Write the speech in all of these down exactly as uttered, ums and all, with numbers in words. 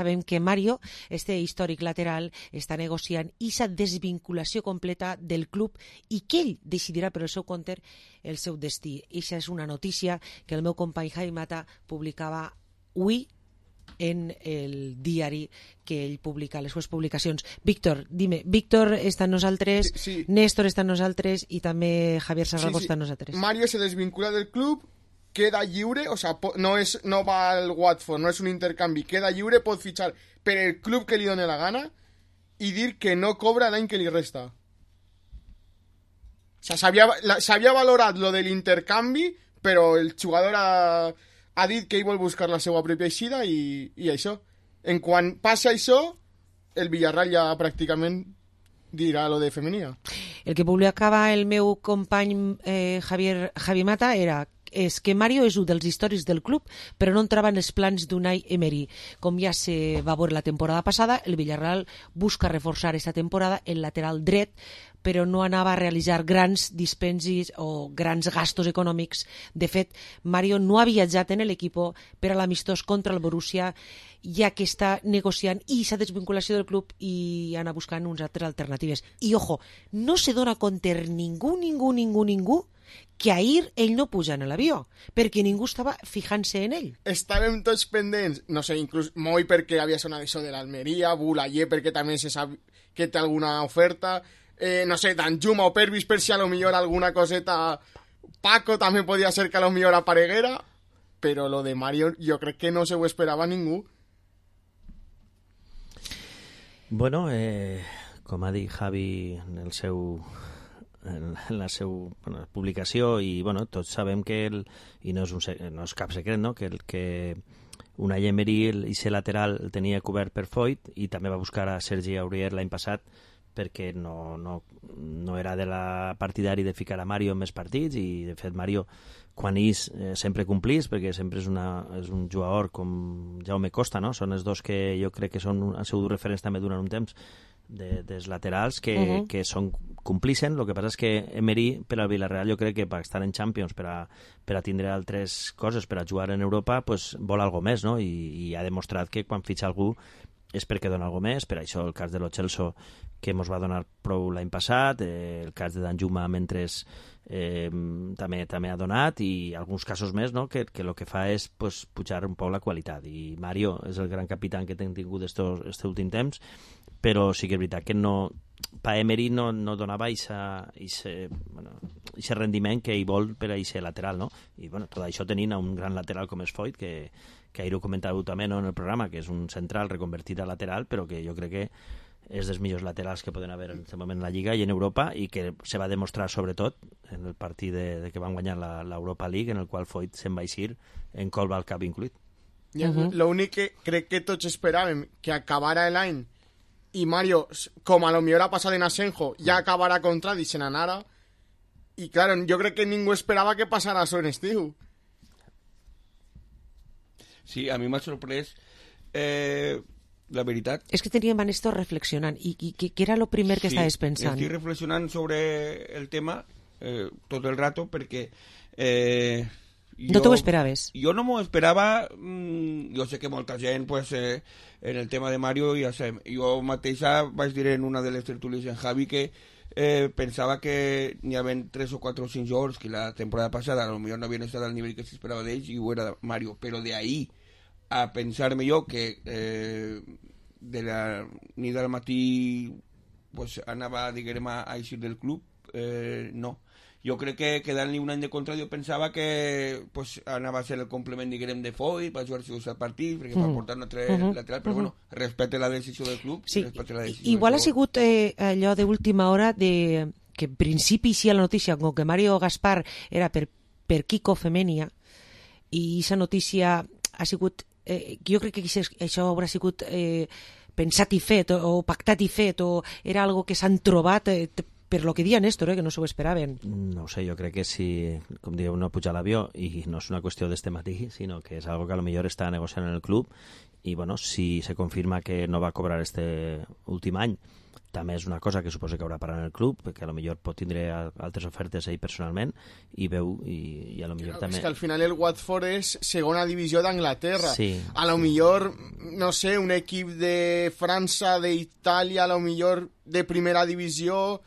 sabem que Mario, este històric lateral, està negociant aquesta desvinculació completa del club i que ell decidirà per el seu compte el seu destí. Eixa és una notícia que el meu company Javi Mata publicava avui en el diari que ell publica, les seves publicacions. Víctor, dime, Víctor està amb nosaltres, sí. Néstor està amb nosaltres i també Javier Sarragos sí, sí. està amb nosaltres. Mario se desvincula del club, queda lliure, o sea, no, és, no va al Watford, no és un intercanvi, queda lliure, pot fitxar per el club que li doni la gana i dir que no cobra l'any que li resta. O sea, s'havia valorat lo de l'intercanvi, però el jugador ha, ha dit que ell vol buscar la seva pròpia eixida i, i això. En quan passa això, el Villarreal ja pràcticament dirà lo de femenina. El que publicava el meu company eh, Javier, Javi Mata era és que Mario és un dels històrics del club, però no entrava en els plans d'Unai Emery. Com ja se va veure la temporada passada, el Villarreal busca reforçar aquesta temporada el lateral dret, però no anava a realitzar grans dispensis o grans gastos econòmics. De fet, Mario no ha viatjat en l'equip per a l'amistós contra el Borussia, ja que està negociant i s'ha desvinculació del club i anar buscant unes altres alternatives. I, ojo, no se dona compte ningú, ningú, ningú, ningú que ahir ell no puja en l'avió, perquè ningú estava fijant-se en ell. Estàvem tots pendents, no sé, inclús Moi perquè havia sonat això de l'Almeria, Boulaye perquè també se sap que té alguna oferta, eh, no sé, Danjuma o Pervis per si a lo millor alguna coseta, Paco també podia ser que a lo millor apareguera, però lo de Mario jo crec que no se ho esperava ningú. Bueno, eh, com ha dit Javi en el seu... en la seva bueno, publicació i bueno, tots sabem que el, i no és, un, no és cap secret, no? que, el, que Unai Emery i ser lateral el tenia cobert per Foyt i també va buscar a Sergi Aurier l'any passat perquè no, no, no era de la partidari de ficar a Mario en més partits i de fet Mario quan és eh, sempre complís perquè sempre és, una, és un jugador com Jaume Costa, no? Són els dos que jo crec que són, han sigut referents també durant un temps de, dels laterals que, uh-huh. que són complixen. El que passa és que Emery per al Villarreal jo crec que per estar en Champions, per a, per a tindre altres coses, per a jugar en Europa, pues, vol algo més, no? I, i ha demostrat que quan fitxa algú és perquè dona algo més. Per això el cas de Lo Celso que ens va donar prou l'any passat, eh, el cas de Danjuma mentre eh, també també ha donat i alguns casos més, no? que, que el que fa és pues, pujar un poc la qualitat. I Mario és el gran capità que hem tingut aquest últim temps, però sí que és veritat que no, pa Emery no, no donava aquest bueno, rendiment que ell vol per a aquest lateral, no? I bueno, tot això tenint un gran lateral com és Foyt, que, que ahir ho comentava també, no, en el programa, que és un central reconvertit a lateral, però que jo crec que és dels millors laterals que poden haver en aquest moment en la Lliga i en Europa, i que se va demostrar sobretot en el partit de, de que van guanyar l'Europa League, en el qual Foyt se'n va eixir en Colba al cap incluït. Ja, uh-huh. L'únic que crec que tots esperàvem que acabara l'any i Mario, com a lo millor ha passat en Asenjo, ja acabarà contra i se n'anara. I, claro, jo crec que ningú esperava que passara això en estiu. Sí, a mi m'ha sorprès eh, la veritat. És que teníem a Néstor reflexionant i, i que, que era el primer que sí, estaves pensant. Sí, estic reflexionant sobre el tema eh, tot el rato perquè eh, jo, no t'ho esperaves? Jo no m'ho esperava. Mmm, jo sé que molta gent pues, eh, en el tema de Mario ja sé, jo mateixa vaig dir en una de les tertúlies en Javi que eh, pensava que n'hi havia tres o quatre o cinc jugadors que la temporada passada a lo millor no havien estat al nivell que s'esperava d'ells i ho era Mario, però de ahí a pensar-me jo que eh, de la nit al matí pues, anava diguem a eixir del club, eh, no. Jo crec que quedant-li un any de contrat jo pensava que pues, anava a ser el complement diguem de Foyt, va jugar els partits perquè mm. va portar un altre uh-huh. lateral, però uh-huh. bueno, respecte la decisió del club. Sí, la decisió igual del ha sigut eh, allò d'última hora de que en principi sí a la notícia com que Mario Gaspar era per, per Kiko Femenia i aquesta notícia ha sigut eh, jo crec que això haurà sigut eh, pensat i fet o, o pactat i fet o era algo que s'han trobat eh, per lo que dia Néstor, eh, que no s'ho esperaven. No ho sé, jo crec que si, com dieu, no puja a l'avió i no és una qüestió d'este matí, sinó que és algo que a lo millor està negociant en el club i, bueno, si se confirma que no va cobrar este últim any, també és una cosa que suposo que haurà parat en el club, perquè a lo millor pot tindre altres ofertes ell personalment i veu, i, i a lo millor Claro, també... és que al final el Watford és segona divisió d'Anglaterra. Sí. A lo millor, no sé, un equip de França, d'Itàlia, a lo millor de primera divisió,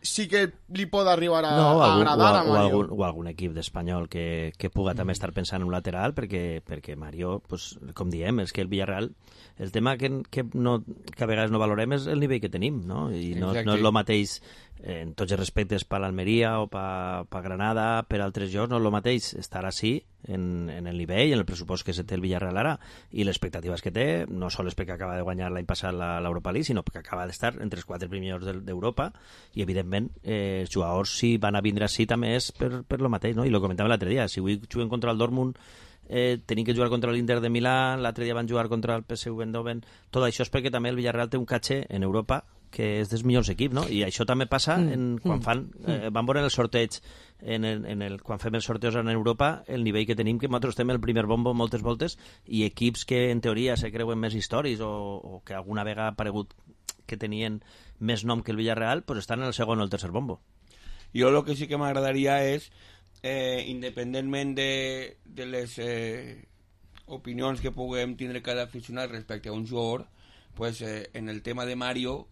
sí que li pot arribar a, no, o a algun, agradar o, a o, Mario. algun, o algun equip d'Espanyol que, que puga també estar pensant en un lateral, perquè, perquè Mario, pues, com diem, és que el Villarreal, el tema que, que, no, que a vegades no valorem és el nivell que tenim, no? I no, no és el mateix, eh, en tots els respectes, per l'Almeria o per, per Granada, per altres llocs, no és el mateix estar així en, en el nivell, en el pressupost que se té el Villarreal ara, i les expectatives que té, no sols perquè acaba de guanyar l'any passat l'Europa League, sinó perquè acaba d'estar entre els quatre primers d'Europa, i evidentment eh, els jugadors, si van a vindre així, també és per, per lo mateix, no? I lo comentàvem l'altre dia, si avui juguen contra el Dortmund, eh, tenim que jugar contra l'Inter de Milà, l'altre dia van jugar contra el P S V Eindhoven, tot això és perquè també el Villarreal té un caché en Europa que és dels millors equips, no? I això també passa en, quan fan, eh, van veure el sorteig en el, en el, quan fem els sorteos en Europa, el nivell que tenim, que nosaltres estem el primer bombo moltes voltes, i equips que en teoria se creuen més històries o, o que alguna vegada ha aparegut que tenien més nom que el Villarreal, pues estan en el segon o el tercer bombo. Jo el que sí que m'agradaria és, eh, independentment de, de les eh, opinions que puguem tindre cada aficionat respecte a un jugador, pues, eh, en el tema de Mario,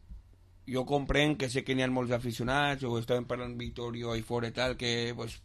jo comprenc que sé que n'hi ha molts aficionats, o estàvem parlant Vittorio i fora i tal, que pues,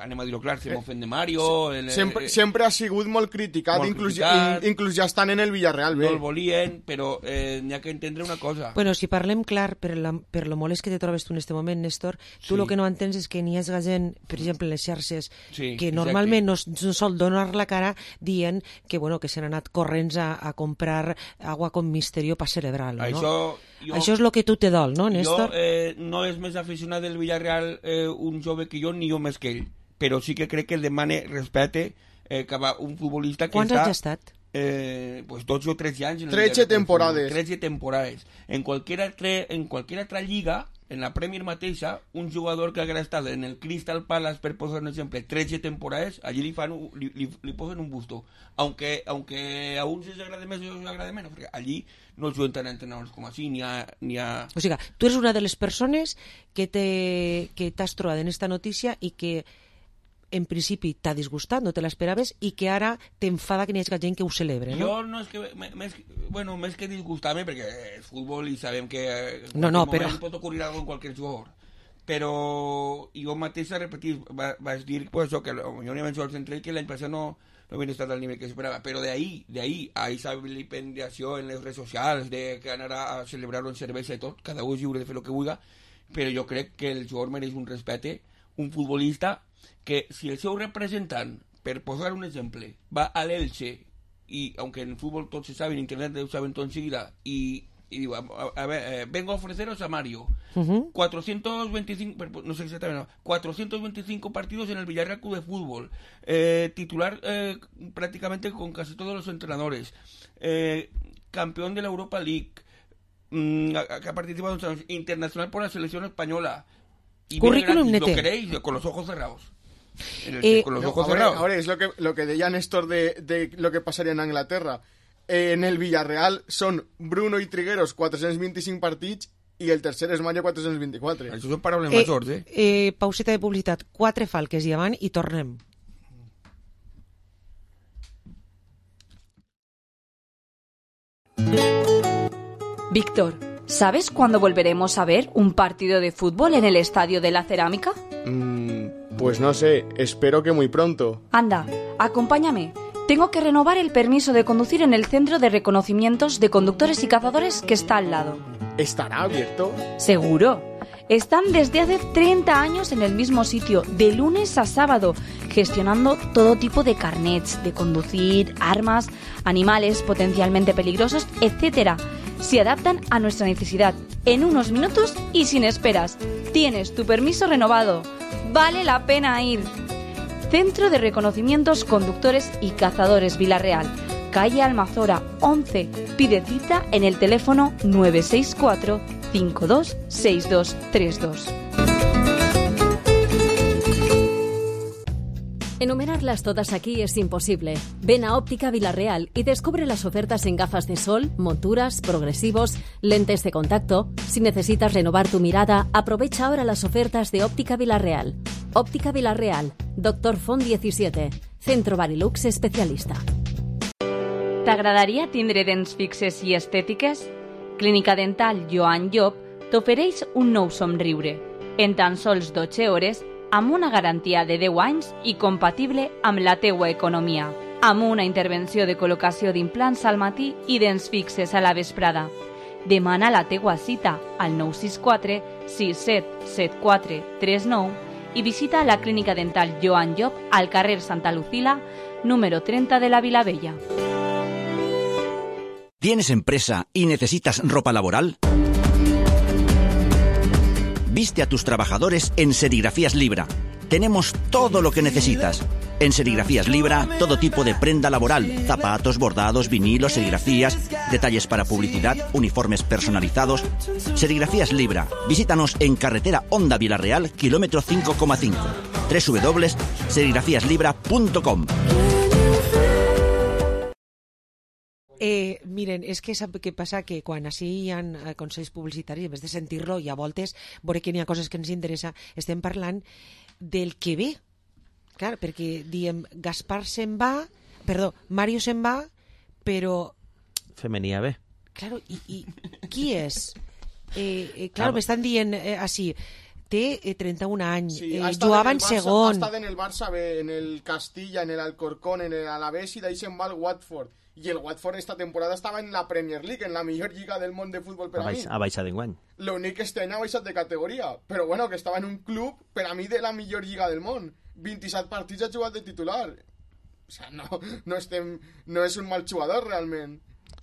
anem a dir-ho clar, se m'ofèn de Mario... El, sempre, eh, sempre ha sigut molt criticat, molt inclús, criticat. in, inclús ja estan en el Villarreal, bé. no el volien, però eh, n'hi ha que entendre una cosa. Bueno, si parlem clar, per, la, per lo molest que te trobes tu en este moment, Néstor, tu el Sí. que no entens és que n'hi ha gent, per exemple, en les xarxes, Sí, que exacte. normalment no, no sol donar la cara dient que, bueno, que s'han anat corrents a, a comprar agua con misterio per celebrar-lo, no? Això, jo, Això és el que tu te dol, no, Néstor? Jo eh, no és més aficionat del Villarreal eh, un jove que jo, ni jo més que ell, però sí que crec que el demane respecte eh, cap a un futbolista que Quants està... anys ha estat? Eh, pues dotze o trece anys. En el trece Villarreal del temporades. Fútbol, trece temporades. En cualquier, altre, en cualquier altra lliga, en la Premier mateixa, un jugador que haguera estat en el Crystal Palace, per posar un exemple, trece temporades, allí li, fan, un- li, li, li posen un busto. Aunque, aunque a uns els agrada més o els agrada menys, perquè allí no juguen tant entrenadors com així, ni ha... Ni ha... O sigui, tu eres una de les persones que te- que t'has trobat en esta notícia i que en principi t'ha disgustat, no te l'esperaves, i que ara t'enfada que n'hi hagi gent que ho celebre, no? Jo no és que... me- Més, bueno, més que disgustar-me, perquè és futbol i sabem que eh, en No, no, qualsevol però- moment pot ocurrir algo en qualsevol jugador. Però jo mateix, repetir, va, vaig dir pues, això, que potser n'hi havia jugadors entre ells que l'any passat no, no havien estat al nivell que s'esperava, però d'ahí, d'ahí, a esa vilipendiació en les redes socials, de que anar a celebrar-ho en cervesa i tot, cada un és lliure de fer el que vulgui, però jo crec que el jugador mereix un respecte, un futbolista que si el seu representant, per posar un exemple, va a l'Elche, y aunque en el fútbol todos se saben, en internet lo saben todo enseguida, y, y digo, a, a ver, eh, vengo a ofreceros a Mario, Uh-huh. cuatrocientos veinticinco, no sé exactamente, no, cuatrocientos veinticinco partidos en el Villarreal Club de Fútbol, eh, titular eh, prácticamente con casi todos los entrenadores, eh, campeón de la Europa League, mmm, que ha participado en años, internacional por la selección española, y Currículum viene gratis, nete. ¿lo queréis? Con los ojos cerrados. En el- Eh, con los No, ojos ahora, cerrados. ahora es lo que, lo que decía Néstor de, de lo que pasaría en Anglaterra. Eh, en el Villarreal son Bruno y Trigueros cuatrocientos veinticinco partits i el tercer és Mario quatre-cents vint-i-quatre. Això són paraules Eh, majors, eh? eh, pauseta de publicitat, quatre falques i avant i tornem. Víctor, ¿sabes cuándo volveremos a ver un partido de fútbol en el Estadio de la Cerámica? Mm, pues no sé, espero que muy pronto. Anda, acompáñame. Tengo que renovar el permiso de conducir en el Centro de Reconocimientos de Conductores y Cazadores que está al lado. ¿Estará abierto? Seguro. Están desde hace treinta años en el mismo sitio, de lunes a sábado, gestionando todo tipo de carnets de conducir, armas, animales potencialmente peligrosos, etcétera. Se adaptan a nuestra necesidad en unos minutos y sin esperas. Tienes tu permiso renovado. Vale la pena ir. Centro de Reconocimientos Conductores y Cazadores Villarreal, calle Almazora once. Pide cita en el teléfono nueve seis cuatro, cinco dos seis dos tres dos. Enumerarlas todas aquí es imposible. Ven a Óptica Villarreal y descubre las ofertas en gafas de sol, monturas, progresivos, lentes de contacto. Si necesitas renovar tu mirada, aprovecha ahora las ofertas de Óptica Villarreal. Óptica Villarreal, Doctor Font disset, Centro Barilux especialista. T'agradaria tindre dents fixes i estètiques? Clínica Dental Joan Llop t'ofereix un nou somriure. En tan sols dotze hores, amb una garantia de deu anys i compatible amb la teua economia. Amb una intervenció de col·locació d'implants al matí i dents fixes a la vesprada. Demana la teua cita al nou sis quatre sis set set quatre tres nou i visita la Clínica Dental Joan Llop al carrer Santa Lucila, número treinta de la Vilavella. ¿Tienes empresa y necesitas ropa laboral? Viste a tus trabajadores en Serigrafías Libra. Tenemos todo lo que necesitas. En Serigrafías Libra, todo tipo de prenda laboral, zapatos, bordados, vinilos, serigrafías, detalles para publicidad, uniformes personalizados. Serigrafías Libra. Visítanos en carretera Honda Villarreal, kilómetro cinco coma cinco. doble u doble u doble u punto serigrafías libra punto com. Eh, miren, és que sap què passa? Que quan així hi ha eh, consells publicitaris, en vez de sentir-lo, i a voltes veure que n'hi ha coses que ens interessa, estem parlant del que ve. Clar, perquè diem, Gaspar se'n va, perdó, Mario se'n va, però... Femenia bé. Claro, i, i qui és? Eh, eh, claro, ah, m'estan dient eh, així, té eh, trenta-un anys, sí, eh, jugava en, en segon. Ha estat en el Barça bé, en el Castilla, en el Alcorcón, en el Alavés, i d'ahí se'n va al Watford. Y el Watford esta temporada estaba en la Premier League, en la mejor lliga del món de futbol per a, a mi. Ha baixat d'enguany. L'únic que este any ha baixat de categoria, però bueno, que estava en un club, per a mi, de la millor lliga del món. vint-i-set partits ha jugat de titular. O sea, no, no, estem, no és un mal jugador, realment.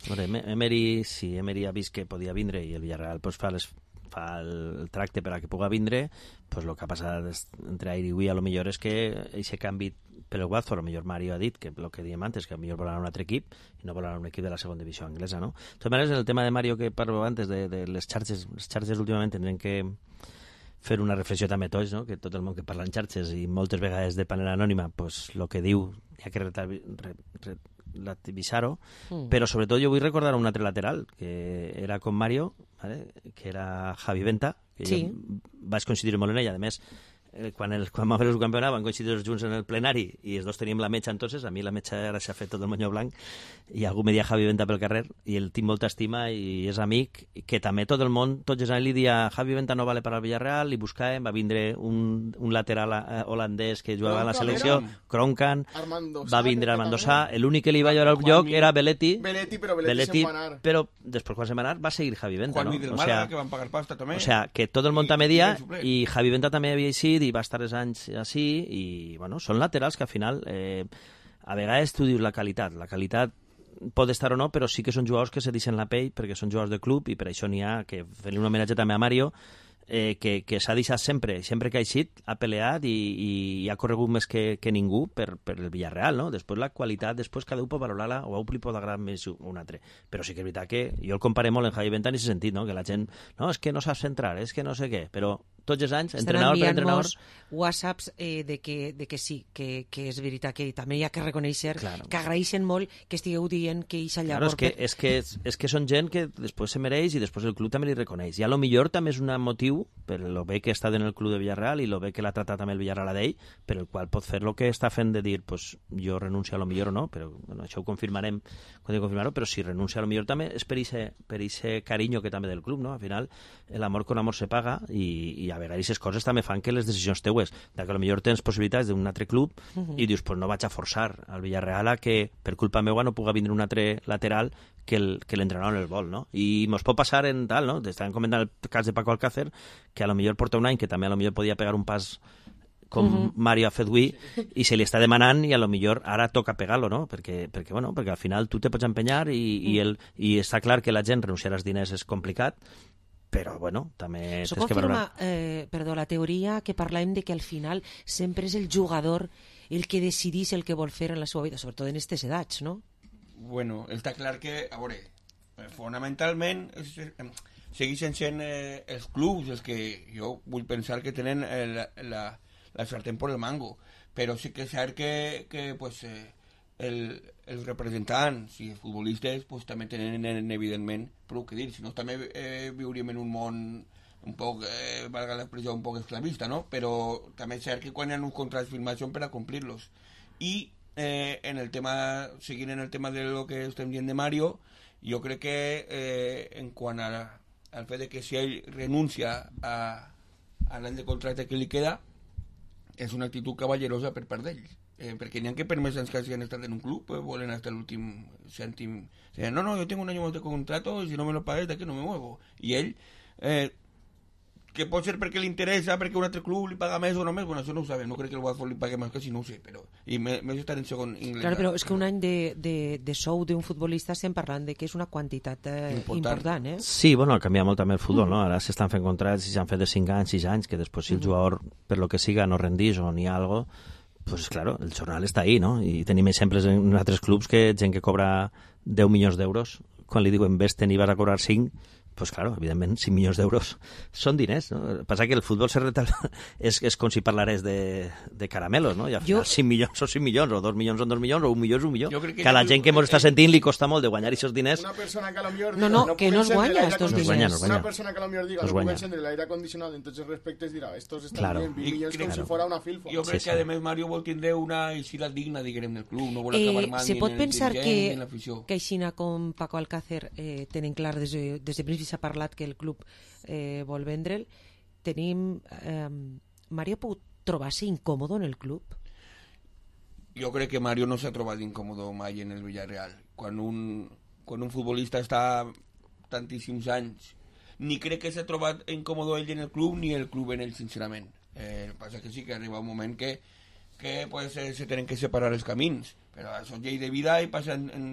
Bueno, Emery, si Emery ha vist que podia vindre i el Villarreal pues, fa, les, fa el tracte per a que puga vindre, pues lo que ha passat entre ahir i avui a lo millor és que aquest canvi per el Watford, a lo millor Mario ha dit que el que diem antes, que a lo millor vol anar a un altre equip i no vol anar a un equip de la segona divisió anglesa, no? De totes maneres, en el tema de Mario que parlo antes de, de les xarxes, les xarxes últimament tindrem que fer una reflexió també tots, no? Que tot el món que parla en xarxes i moltes vegades de manera anònima, pues lo que diu hi ha que relativitzar-ho, mm. però sobretot jo vull recordar un altre lateral que era com Mario, ¿vale? Que era Javi Venta, que sí. Jo vaig coincidir molt en ella, a més eh, quan, el, quan vam fer el campionat van coincidir els junts en el plenari i els dos teníem la metxa entonces, a mi la metxa ara s'ha fet tot el moño blanc i algú me dia Javi Venta pel carrer i el tinc molta estima i és amic, que també tot el món, tots els anys li dia Javi Venta no vale per al Villarreal, li buscàvem, va vindre un, un lateral eh, holandès que jugava a la selecció, Kronkan, va vindre Armando Sá, l'únic que li va llorar al lloc era Belletti, Belletti però Belletti, Belletti se'n va anar. Però després quan se'n va anar va seguir Javi Venta, Juan no? Del O Málaga, sea, que van pagar pasta també. O sea, que tot el món també dia i Javi Venta també havia eixit i va estar els anys així i, bueno, són laterals que al final eh, a vegades tu dius la qualitat, la qualitat pot estar o no, però sí que són jugadors que se deixen la pell perquè són jugadors de club i per això n'hi ha que fer-li un homenatge també a Mario eh, que, que s'ha deixat sempre, sempre que ha eixit ha peleat i, i, i ha corregut més que, que ningú per, per el Villarreal, no? Després la qualitat, després cada un pot valorar-la o a un li pot agradar més un altre, però sí que és veritat que jo el comparé molt en Javi Venta en aquest sentit, no? Que la gent, no, és que no saps centrar, és que no sé què, però tots els anys, estan entrenador per entrenador... whatsapps eh, de, que, de que sí, que, que és veritat que també hi ha que reconèixer, claro. Que agraeixen molt que estigueu dient que eixa Claro, llavor... és que, és, que, és que són gent que després se mereix i després el club també li reconeix. I a lo millor també és un motiu, per lo bé que està en el club de Villarreal i lo bé que l'ha tratat també el Villarreal a d'ell, per el qual pot fer el que està fent de dir, pues, jo renuncio a lo millor o no, però bueno, això ho confirmarem quan he confirmar-ho, però si renuncia a lo millor també és per ese, per ese carinyo que també del club, no? Al final, l'amor con amor se paga i, i a vegades aquestes coses també fan que les decisions teues, de que potser tens possibilitats d'un altre club uh -huh. i dius, pues no vaig a forçar al Villarreal a que per culpa meva no puga vindre un altre lateral que el, que l'entrenador no el vol, no? I mos pot passar en tal, no? Estàvem comentant el cas de Paco Alcácer, que a lo millor porta un any que també a lo millor podia pegar un pas com uh-huh. Mario ha fet avui i se li està demanant i a lo millor ara toca pegar-lo, no? Perquè, perquè, bueno, perquè al final tu te pots empenyar i, uh-huh. i, el, i està clar que la gent renunciar als diners és complicat, però, bueno, també Això tens que valorar. Eh, perdó, la teoria que parlem de que al final sempre és el jugador el que decidís el que vol fer en la seva vida, sobretot en aquestes edats, no? Bueno, està clar que, a veure, fonamentalment segueixen sent eh, els clubs els que jo vull pensar que tenen eh, la, la, la sartén por el mango, però sí que és cert que, que pues, eh, el, els representants i els futbolistes pues, també tenen evidentment prou que dir, si no també eh, viuríem en un món un poc, eh, valga l'expressió, un poc esclavista, no? Però també és cert que quan hi ha uns contrats firmats són per a complir-los. I eh, en el tema, seguint en el tema de lo que estem dient de Mario, jo crec que eh, en quant a, al fet de que si ell renuncia a, a l'any de contracte que li queda, és una actitud cavallerosa per part d'ells. Eh, perquè n'hi ha que per més anys que hagin estat en un club eh, volen hasta l'últim cèntim. O sea, no, no, yo tengo un año más de contrato y si no me lo pagues de aquí no me muevo. I ell... Eh, que pot ser perquè li interessa, perquè un altre club li paga més o no més, bueno, això no ho sabem, no crec que el Watford li pague més que si no ho sé, però i més estar en segon inglès. Claro, però és que un any de, de, de sou d'un futbolista estem parlant de que és una quantitat eh, important. important, eh? Sí, bueno, ha canviat molt també el futbol, no? Ara s'estan fent contrats i s'han fet de cinc anys, sis anys, que després si el jugador, per lo que siga, no rendís o n'hi ha algo, pues claro, el jornal està ahí, no? I tenim exemples en altres clubs que gent que cobra deu milions d'euros, quan li diuen vés-te'n i vas a cobrar cinc, pues claro, evidentment, cinc milions d'euros són diners, no? Passa que el futbol se retal... és, és com si parlarés de, de caramelos, no? I al final jo... cinc milions són cinc milions, o dos milions són dos milions, o un milió és un milió. Que, que a la gent que ens està sentint li costa molt de guanyar aquests diners. Una persona que a lo millor... No, no, no que no es guanya estos diners. No guanya, no guanya. Una persona que a lo millor diga, no, no puc encendre l'aire acondicionat, en tots els respectes dirà, estos estan claro. bien, vint milions com claro. si fora una filfa. Jo crec sí, que, a més, Mario vol tindre una eixida digna, diguem, del club, no vol acabar mal eh, ni en el dirigent que, ni en l'afició. Que aixina com Paco Alcácer eh, tenen clar des de, des de principi s'ha parlat que el club Eh, vol vendre'l, tenim eh, Mario pot trobar-se incòmodo en el club? Jo crec que Mario no s'ha trobat incòmodo mai en el Villarreal. Quan un, quan un futbolista està tantíssims anys, ni crec que s'ha trobat incòmodo ell en el club ni el club en ell, sincerament. Eh, passa que sí que arriba un moment que, que pues, eh, se tenen que separar els camins, però això és llei de vida i passa en, en,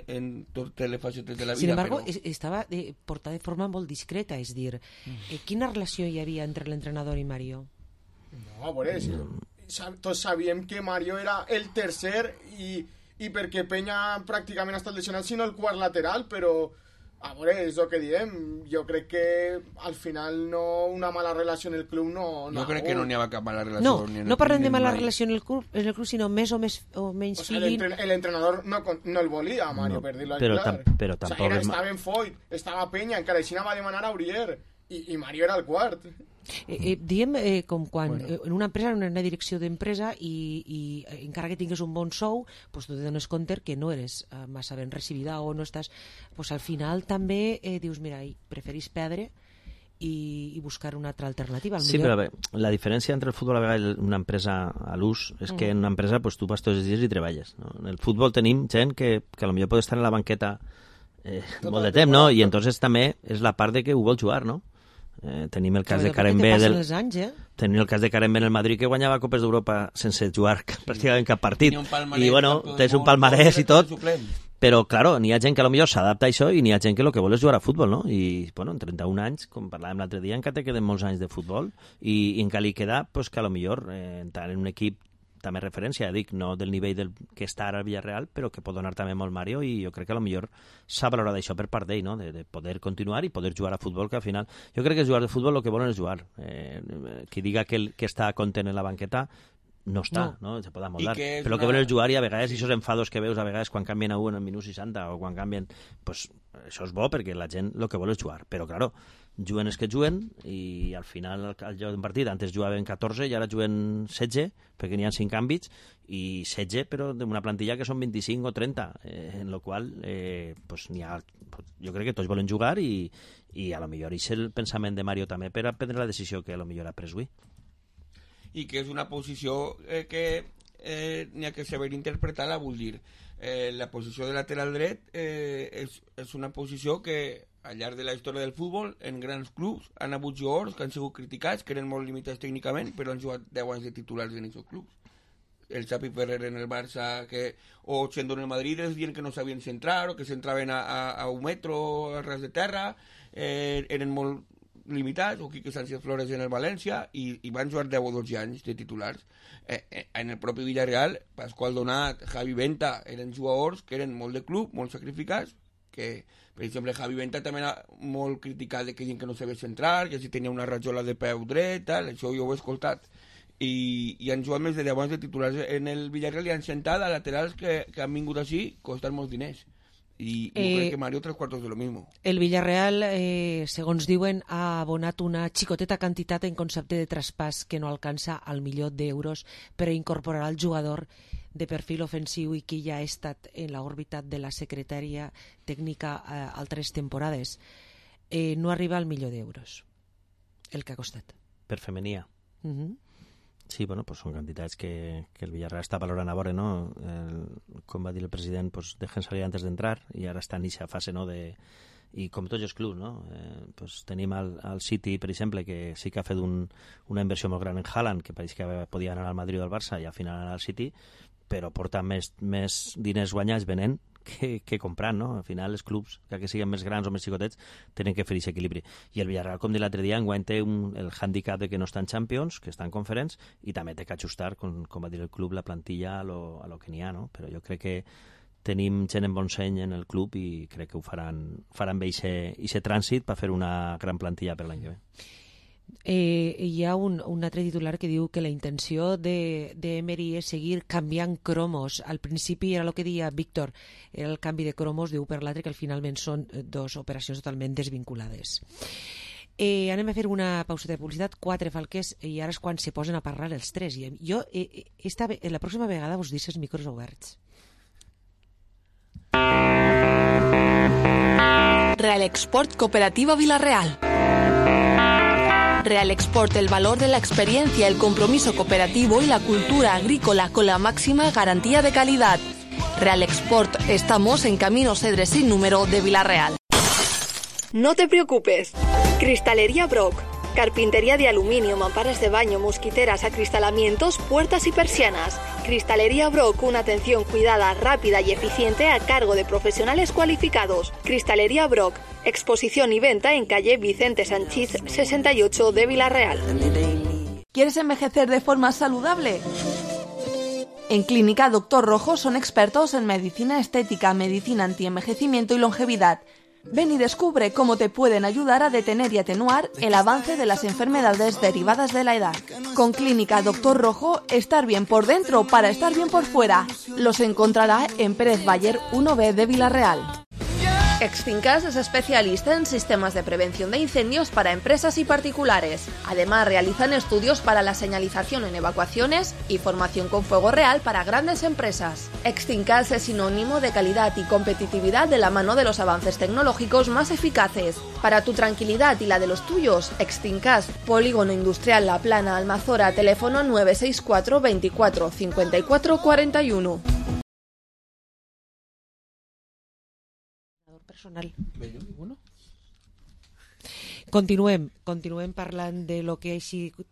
en totes les facetes de la vida. Sin embargo, però... estava eh, portada de forma molt discreta, és dir, eh, quina relació hi havia entre l'entrenador i Mario? No, a veure, sí, tots sabíem que Mario era el tercer i, i perquè Peña pràcticament ha estat lesionat, sinó el quart lateral, però a veure, és el que diem, jo crec que al final no una mala relació en el club no... no jo crec que no n'hi ha cap mala relació. No, ni en no parlem de mala mai. relació en el club, en el club, sinó més o, més, o menys o sea, feeling. El entrenador no, no el volia, Mario, no, per dir-lo però clar. Tam, però tampoc... O sea, era, estava en Foyt, estava Peña, encara així va demanar a Aurier, i, i Mario era el quart. Eh, eh, diem eh, com quan bueno. eh, en una empresa, en una direcció d'empresa i, i eh, encara que tingues un bon sou pues tu te dones compte que no eres eh, massa ben recibida o no estàs pues al final també eh, dius mira, preferís perdre i, i buscar una altra alternativa. Sí, millor... però bé, la diferència entre el futbol a vegades i una empresa a l'ús és que mm. en una empresa pues, tu vas tots els dies i treballes. No? En el futbol tenim gent que, que potser pot estar en la banqueta eh, molt de temps, no? I entonces també és la part de que ho vol jugar, no? Eh, tenim el cas Clar, de Karen B del... anys, eh? tenim el cas de Karen B en el Madrid que guanyava Copes d'Europa sense jugar pràcticament cap partit i bueno, tens un palmarès i tot però claro, n'hi ha gent que potser s'adapta a això i n'hi ha gent que el que vol és jugar a futbol, no? I bueno, en trenta-un anys, com parlàvem l'altre dia, encara te queden molts anys de futbol i, i encara li queda pues, que potser eh, entrar en un equip també referència, dic, no del nivell del que està ara al Villarreal, però que pot donar també molt Mario i jo crec que potser s'ha valorat això per part d'ell, no? de, de poder continuar i poder jugar a futbol, que al final jo crec que jugar de futbol el que volen és jugar. Eh, qui diga que, el, que està content en la banqueta no està, no, no? Se pot amoldar. Però el que volen és jugar i a vegades aquests enfados que veus a vegades quan canvien a un en el minut seixanta o quan canvien, pues, això és bo perquè la gent el que vol és jugar, però claro, juguen els que juguen i al final al lloc d'un partit antes jugaven catorze i ara juguen setze perquè n'hi ha cinc àmbits i setze però d'una plantilla que són vint-i-cinc o trenta eh, en la qual eh, pues, n'hi ha, pues, jo crec que tots volen jugar i, i a lo millor és el pensament de Mario també per a prendre la decisió que a lo millor ha pres avui i que és una posició eh, que eh, n'hi ha que saber interpretar-la, vull dir eh, la posició de lateral dret eh, és, és una posició que al llarg de la història del futbol, en grans clubs, han hagut jugadors que han sigut criticats, que eren molt limitats tècnicament, però han jugat deu anys de titulars en aquests clubs. El Xavi Ferrer en el Barça, que, o Xendo en el Madrid, es diuen que no sabien centrar, o que centraven a, a, a un metro a ras de terra, eh, eren molt limitats, o Quique Sánchez Flores en el València, i, i van jugar deu o dotze anys de titulars. Eh, eh, en el propi Villarreal, Pasqual Donat, Javi Venta, eren jugadors que eren molt de club, molt sacrificats, que, per exemple, Javi Venta també era molt criticat de que gent que no sabia centrar, que si tenia una rajola de peu dret, tal, això jo ho he escoltat. i, i han jugat més de deu anys de titulars en el Villarreal i han sentat a laterals que, que han vingut així costant molts diners. I jo eh, crec que Mario tres quartos de lo mismo. El Villarreal, eh, segons diuen, ha abonat una xicoteta quantitat en concepte de traspàs que no alcança al milió d'euros per a incorporar al jugador de perfil ofensiu i que ja ha estat en l'òrbita de la secretària tècnica eh, altres temporades. Eh, no arriba al milió d'euros, el que ha costat. Per femenia. Uh-huh. Sí, bueno, pues són quantitats que, que el Villarreal està valorant a veure, no? El, com va dir el president, pues dejen salir antes d'entrar i ara està en aquesta fase, no? De, i com tots els clubs, no? Eh, pues tenim al, al City, per exemple, que sí que ha fet un, una inversió molt gran en Haaland, que pareix que podia anar al Madrid o al Barça i al final anar al City, però porta més, més diners guanyats venent que, que comprant, no? Al final els clubs, que siguin més grans o més xicotets, tenen que fer aquest equilibri. I el Villarreal, com dit l'altre dia, enguany té un, el hàndicap de que no està en Champions, que està en Conference, i també té que ajustar, com, com va dir el club, la plantilla a lo, a lo que n'hi ha, no? Però jo crec que tenim gent en bon seny en el club i crec que ho faran, faran bé aquest trànsit per fer una gran plantilla per l'any que ve. Eh, hi ha un, un altre titular que diu que la intenció de, de Emery és seguir canviant cromos. Al principi era el que deia Víctor, era el canvi de cromos d'un per l'altre, que finalment són dos operacions totalment desvinculades. Eh, anem a fer una pauseta de publicitat, quatre falques, i ara és quan se posen a parlar els tres. I jo eh, esta, la pròxima vegada us deixo els micros oberts. Real Export Cooperativa Villarreal. Real Export, el valor de la experiencia, el compromiso cooperativo y la cultura agrícola con la máxima garantía de calidad. Real Export, estamos en Camino Cedres sin número de Villarreal. No te preocupes. Cristalería Brock. Carpintería de aluminio, mamparas de baño, mosquiteras, acristalamientos, puertas y persianas. Cristalería Brock, una atención cuidada, rápida y eficiente a cargo de profesionales cualificados. Cristalería Brock, exposición y venta en calle Vicente Sanchís sesenta y ocho de Villarreal. ¿Quieres envejecer de forma saludable? En Clínica Doctor Rojo son expertos en medicina estética, medicina antienvejecimiento y longevidad. Ven y descubre cómo te pueden ayudar a detener y atenuar el avance de las enfermedades derivadas de la edad. Con Clínica Doctor Rojo, estar bien por dentro para estar bien por fuera. Los encontrará en Pérez Bayer uno B de Villarreal. Extincas es especialista en sistemas de prevención de incendios para empresas y particulares. Además, realizan estudios para la señalización en evacuaciones y formación con fuego real para grandes empresas. Extincas es sinónimo de calidad y competitividad de la mano de los avances tecnológicos más eficaces. Para tu tranquilidad y la de los tuyos, Extincas, Polígono Industrial La Plana, Almazora, teléfono nueve seis cuatro veinticuatro cincuenta y cuatro cuarenta y uno. Personal. Continuem, continuem parlant de lo que és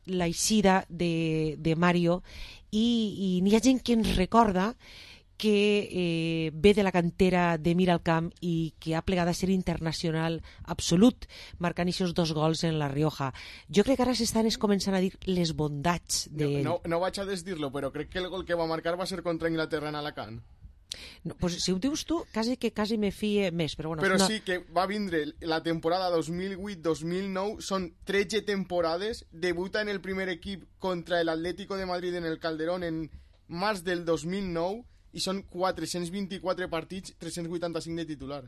la eixida de, de Mario i, i n'hi ha gent que ens recorda que eh, ve de la cantera de Miralcamp i que ha plegat a ser internacional absolut, marcant aquests dos gols en la Rioja. Jo crec que ara s'estan començant a dir les bondats de... No, no, no vaig a desdir-lo, però crec que el gol que va marcar va ser contra Inglaterra en Alacant. No, pues si ho dius tu, quasi que quasi me fie més, però bueno... Però no... sí que va vindre la temporada dos mil vuit dos mil nou, són tretze temporades, debuta en el primer equip contra el Atlético de Madrid en el Calderón en març del dos mil nou i són quatre-cents vint-i-quatre partits, tres-cents vuitanta-cinc de titular.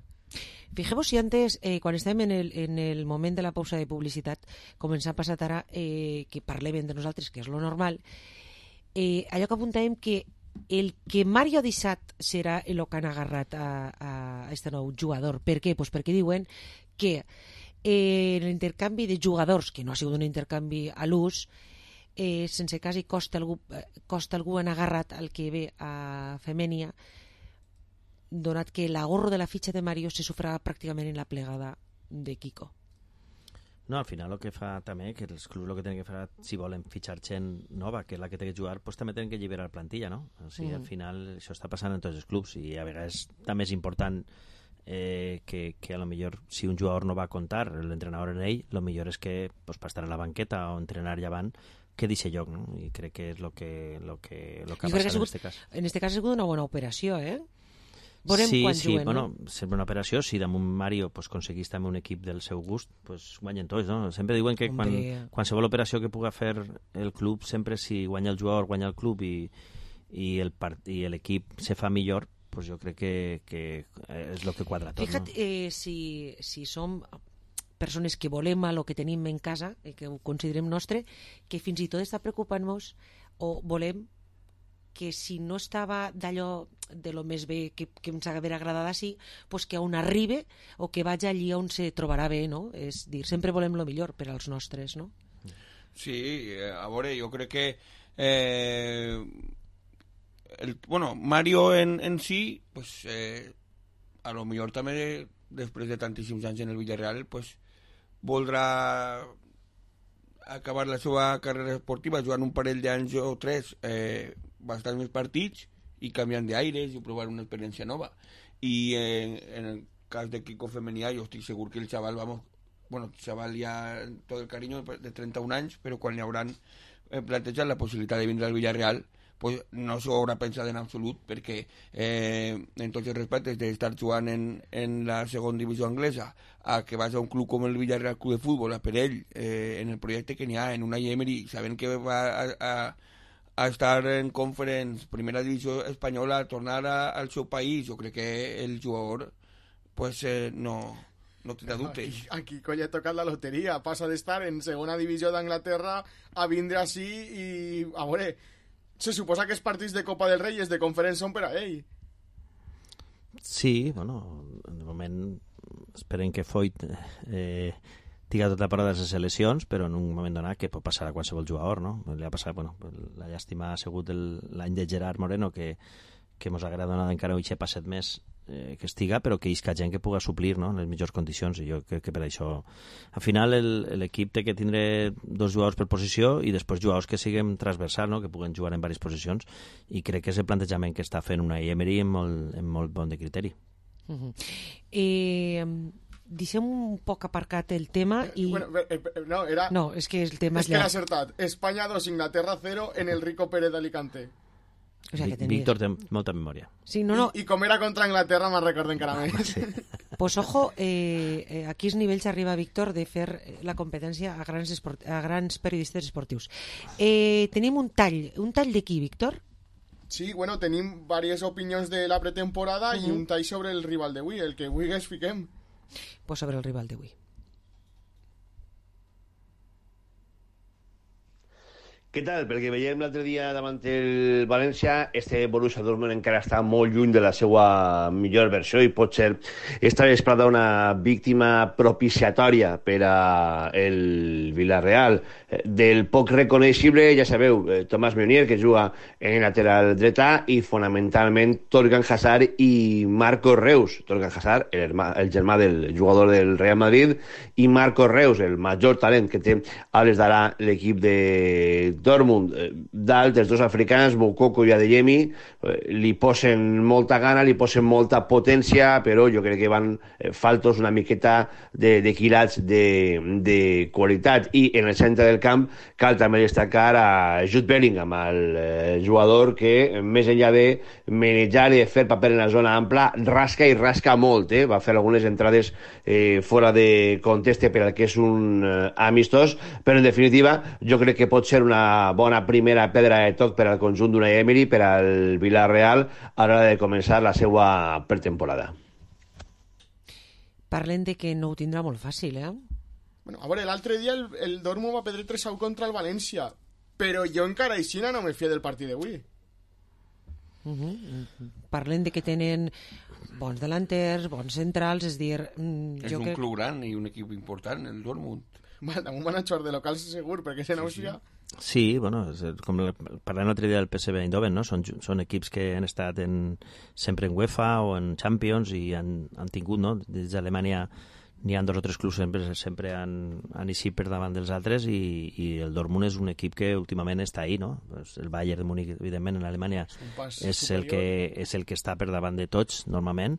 Fijeu-vos si antes, eh, quan estàvem en el, en el moment de la pausa de publicitat, començar a passar ara eh, que parlem de nosaltres, que és lo normal, eh, allò que apuntàvem que el que Mario ha deixat serà el que han agarrat a, a este nou jugador. Per què? Pues perquè diuen que eh, l'intercanvi de jugadors, que no ha sigut un intercanvi a l'ús, eh, sense quasi costa algú, costa algú han agarrat al que ve a Femènia, donat que l'agorro de la fitxa de Mario se sofrà pràcticament en la plegada de Kiko. No, al final el que fa també, que els clubs el que tenen que fer, si volen fitxar gent nova, que és la que té que jugar, pues també tenen que alliberar plantilla, no? O sigui, mm. al final això està passant en tots els clubs i a vegades també és important eh, que, que a lo millor si un jugador no va a contar l'entrenador en ell, lo millor és que pues, per estar en la banqueta o entrenar llevant que deixi lloc, no? I crec que és el que, lo que, lo que ha passat en aquest cas. En aquest cas ha sigut una bona operació, eh? Veurem sí, quan sí, juguen, bueno, no? sempre una operació, si damunt Mario pues, aconseguís també un equip del seu gust, pues, guanyen tots, no? Sempre diuen que quan, qualsevol operació que puga fer el club, sempre si guanya el jugador, guanya el club i, i el part, i l'equip se fa millor, pues jo crec que, que és el que quadra tot. Fíjate, no? eh, si, si som persones que volem el que tenim en casa, i que ho considerem nostre, que fins i tot està preocupant-nos o volem que si no estava d'allò de lo més bé que, que ens hagués agradat així, pues que on arribe o que vagi allí on se trobarà bé, no? És dir, sempre volem lo millor per als nostres, no? Sí, a veure, jo crec que eh, el, bueno, Mario en, en si pues, eh, a lo millor també després de tantíssims anys en el Villarreal pues, voldrà acabar la seva carrera esportiva jugant un parell d'anys o tres eh, bastants més partits i canviant d'aires i provar una experiència nova. I eh, en el cas de Kiko Femenia jo estic segur que el xaval, vamos, bueno, el xaval ja tot el carinyo de trenta-un anys, però quan li hauran eh, plantejat la possibilitat de vindre al Villarreal, pues no s'ho haurà pensat en absolut, perquè eh, en tots els respectes d'estar jugant en, en la segona divisió anglesa a que vas a un club com el Villarreal Club de Futbol, a per ell, eh, en el projecte que n'hi ha, en Unai Emery, sabent que va a, a a estar en Conference, primera divisió espanyola, a tornar a, al seu país, jo crec que el jugador pues, eh, no, no tindrà dubtes. Aquí, aquí coi, ha tocat la loteria, passa d'estar en segona divisió d'Anglaterra a vindre així i, a veure, se suposa que els partits de Copa del Rei i els de Conference són per a ell. Sí, bueno, de moment esperem que Foyt eh, tinga tota part de les seleccions, però en un moment donat que pot passar a qualsevol jugador, no? Li ha passat, bueno, la llàstima ha sigut l'any de Gerard Moreno, que, que mos agrada donar encara un passet més eh, que estiga, però que isca gent que puga suplir, no?, en les millors condicions, i jo crec que per això al final l'equip té que tindre dos jugadors per posició i després jugadors que siguin transversals, no?, que puguen jugar en diverses posicions, i crec que és el plantejament que està fent una Emery en molt, en molt bon de criteri. Uh-huh. Eh... Deixem un poc aparcat el tema i... Bueno, eh, eh, no, era... No, és que el tema és és que llarg. l'ha acertat. Espanya dos, Inglaterra cero en el Rico Pérez d'Alicante. O sea, que tenies... Víctor té molta memòria. Sí, no, no. I, I com era contra Anglaterra me'n recordo encara més. Sí. Pues ojo, eh, eh, a quins nivells arriba Víctor de fer la competència a grans, esport... a grans periodistes esportius. Eh, tenim un tall. Un tall de qui, Víctor? Sí, bueno, tenim diverses opinions de la pretemporada uh-huh. i un tall sobre el rival d'avui, el que avui es fiquem. Pues sobre el rival d'avui. Què tal? Perquè veiem l'altre dia davant el València, este Borussia Dortmund encara està molt lluny de la seva millor versió i pot ser esta vesprada una víctima propiciatòria per a el Villarreal. Del poc reconeixible, ja sabeu, Tomàs Meunier, que juga en lateral dretà, i fonamentalment Torgan Hazard i Marco Reus. Torgan Hazard, el, herma, el germà del jugador del Real Madrid, i Marco Reus, el major talent que té a les d'ara l'equip de Dortmund. Dalt, els dos africans, Moukoko i Adeyemi, li posen molta gana, li posen molta potència, però jo crec que van faltos una miqueta de, de quilats de, de qualitat. I en el centre del camp cal també destacar a Jude Bellingham, el jugador que, més enllà de manejar i de fer paper en la zona ampla, rasca i rasca molt. Eh? Va fer algunes entrades eh, fora de contexte per al que és un eh, amistós, però en definitiva jo crec que pot ser una bona primera pedra de toc per al conjunt d'Unai Emery, per al Villarreal, a l'hora de començar la seva pretemporada. Parlen de que no ho tindrà molt fàcil, eh? Bueno, a veure, l'altre dia el, el Dortmund va perdre tres a u contra el València, però jo encara aixina no me fia del partit d'avui. Uh-huh. Parlen de que tenen bons delanters, bons centrals, és dir... Mm, és jo un que... club gran i un equip important, el Dortmund. Bueno, damunt van a jugar de locals segur, perquè se n'aussia... Sí, bueno, com parlant l'altre dia del P S V Eindhoven, no? Són, són equips que han estat en, sempre en UEFA o en Champions i han, han tingut, no? Des d'Alemanya n'hi ha dos o tres clubs sempre, sempre han, han eixit per davant dels altres i, i el Dortmund és un equip que últimament està ahí, no? Pues el Bayern de Múnich, evidentment, en Alemanya és, és, el que, és el que està per davant de tots, normalment,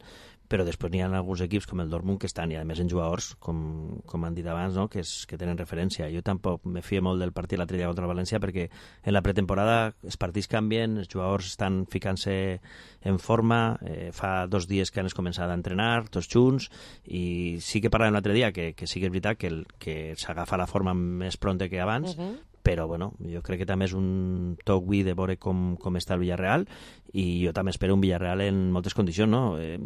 però després n'hi ha alguns equips com el Dortmund que estan, i a més en jugadors, com, com han dit abans, no? que, és, que tenen referència. Jo tampoc me fio molt del partit l'altre dia contra el València perquè en la pretemporada els partits canvien, els jugadors estan ficant-se en forma, eh, fa dos dies que han començat a entrenar tots junts, i sí que parlàvem l'altre dia que, que sí que és veritat que, el, que s'agafa la forma més pronta que abans, uh-huh. però bueno, jo crec que també és un toc avui de veure com, com està el Villarreal, i jo també espero un Villarreal en moltes condicions, no? Eh,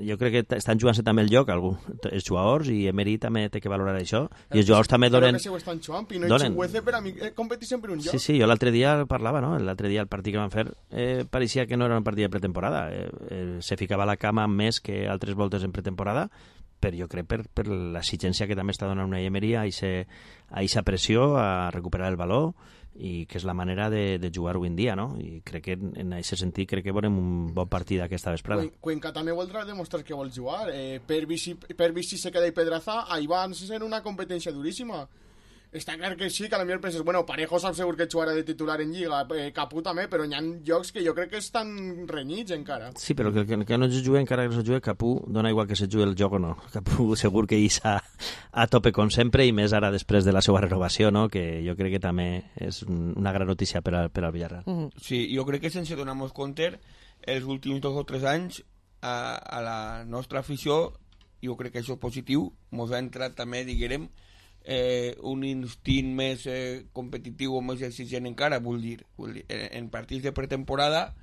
jo crec que estan jugant-se també el lloc algun, els jugadors, i Emery també té que valorar això, i els jugadors també donen... Crec que se ho estan jugant, Pino i Chukwueze per a mi competir sempre un lloc. Sí, sí, jo l'altre dia parlava, no? L'altre dia el partit que van fer eh, pareixia que no era un partit de pretemporada, eh, eh, se ficava a la cama més que altres voltes en pretemporada, però jo crec per, per l'exigència que també està donant una Emery a aquesta pressió, a recuperar el valor, i que és la manera de, de jugar avui en dia, no? I crec que en aquest sentit crec que veurem un bon partit aquesta vesprada. Cuenca també voldrà demostrar que vol jugar. Eh, per Vichy se queda i Pedraza, ahí van a ser una competència duríssima. Està clar que sí, que a lo millor penses, bueno, Parejo sap segur que jugarà de titular en Lliga, eh, Capú també, però hi ha llocs que jo crec que estan renyits encara. Sí, però que, que, que no es jugui, encara que no se jugui, Capú dona igual que se jugui el joc o no. Capú segur que hi està a tope com sempre, i més ara després de la seva renovació, no? Que jo crec que també és una gran notícia per, a, per al Villarreal. Uh-huh. Sí, jo crec que sense donar-nos compte, els últims dos o tres anys a, a la nostra afició, jo crec que això és positiu, ens ha entrat també, diguem, Eh, un instint més eh, competitiu o més exigent encara, vull dir, vull dir en, en partits de pretemporada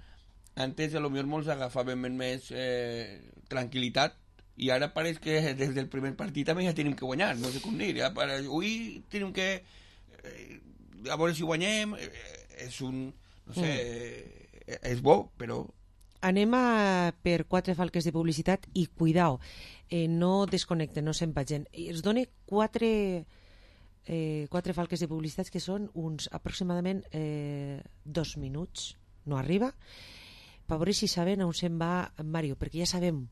antes a lo millor molts agafaven més eh, tranquil·litat, i ara pareix que des del primer partit també ja tenim que guanyar, no sé com dir, ja para, avui tenim que eh, a veure si guanyem, eh, és un no sé, mm. eh, és bo, però anem a per quatre falques de publicitat i cuidao, eh, no desconnecten, no se'n vagin. Es dona quatre, eh, quatre falques de publicitat que són uns aproximadament eh, dos minuts, no arriba, per veure si saben on se'n va Mario, perquè ja sabem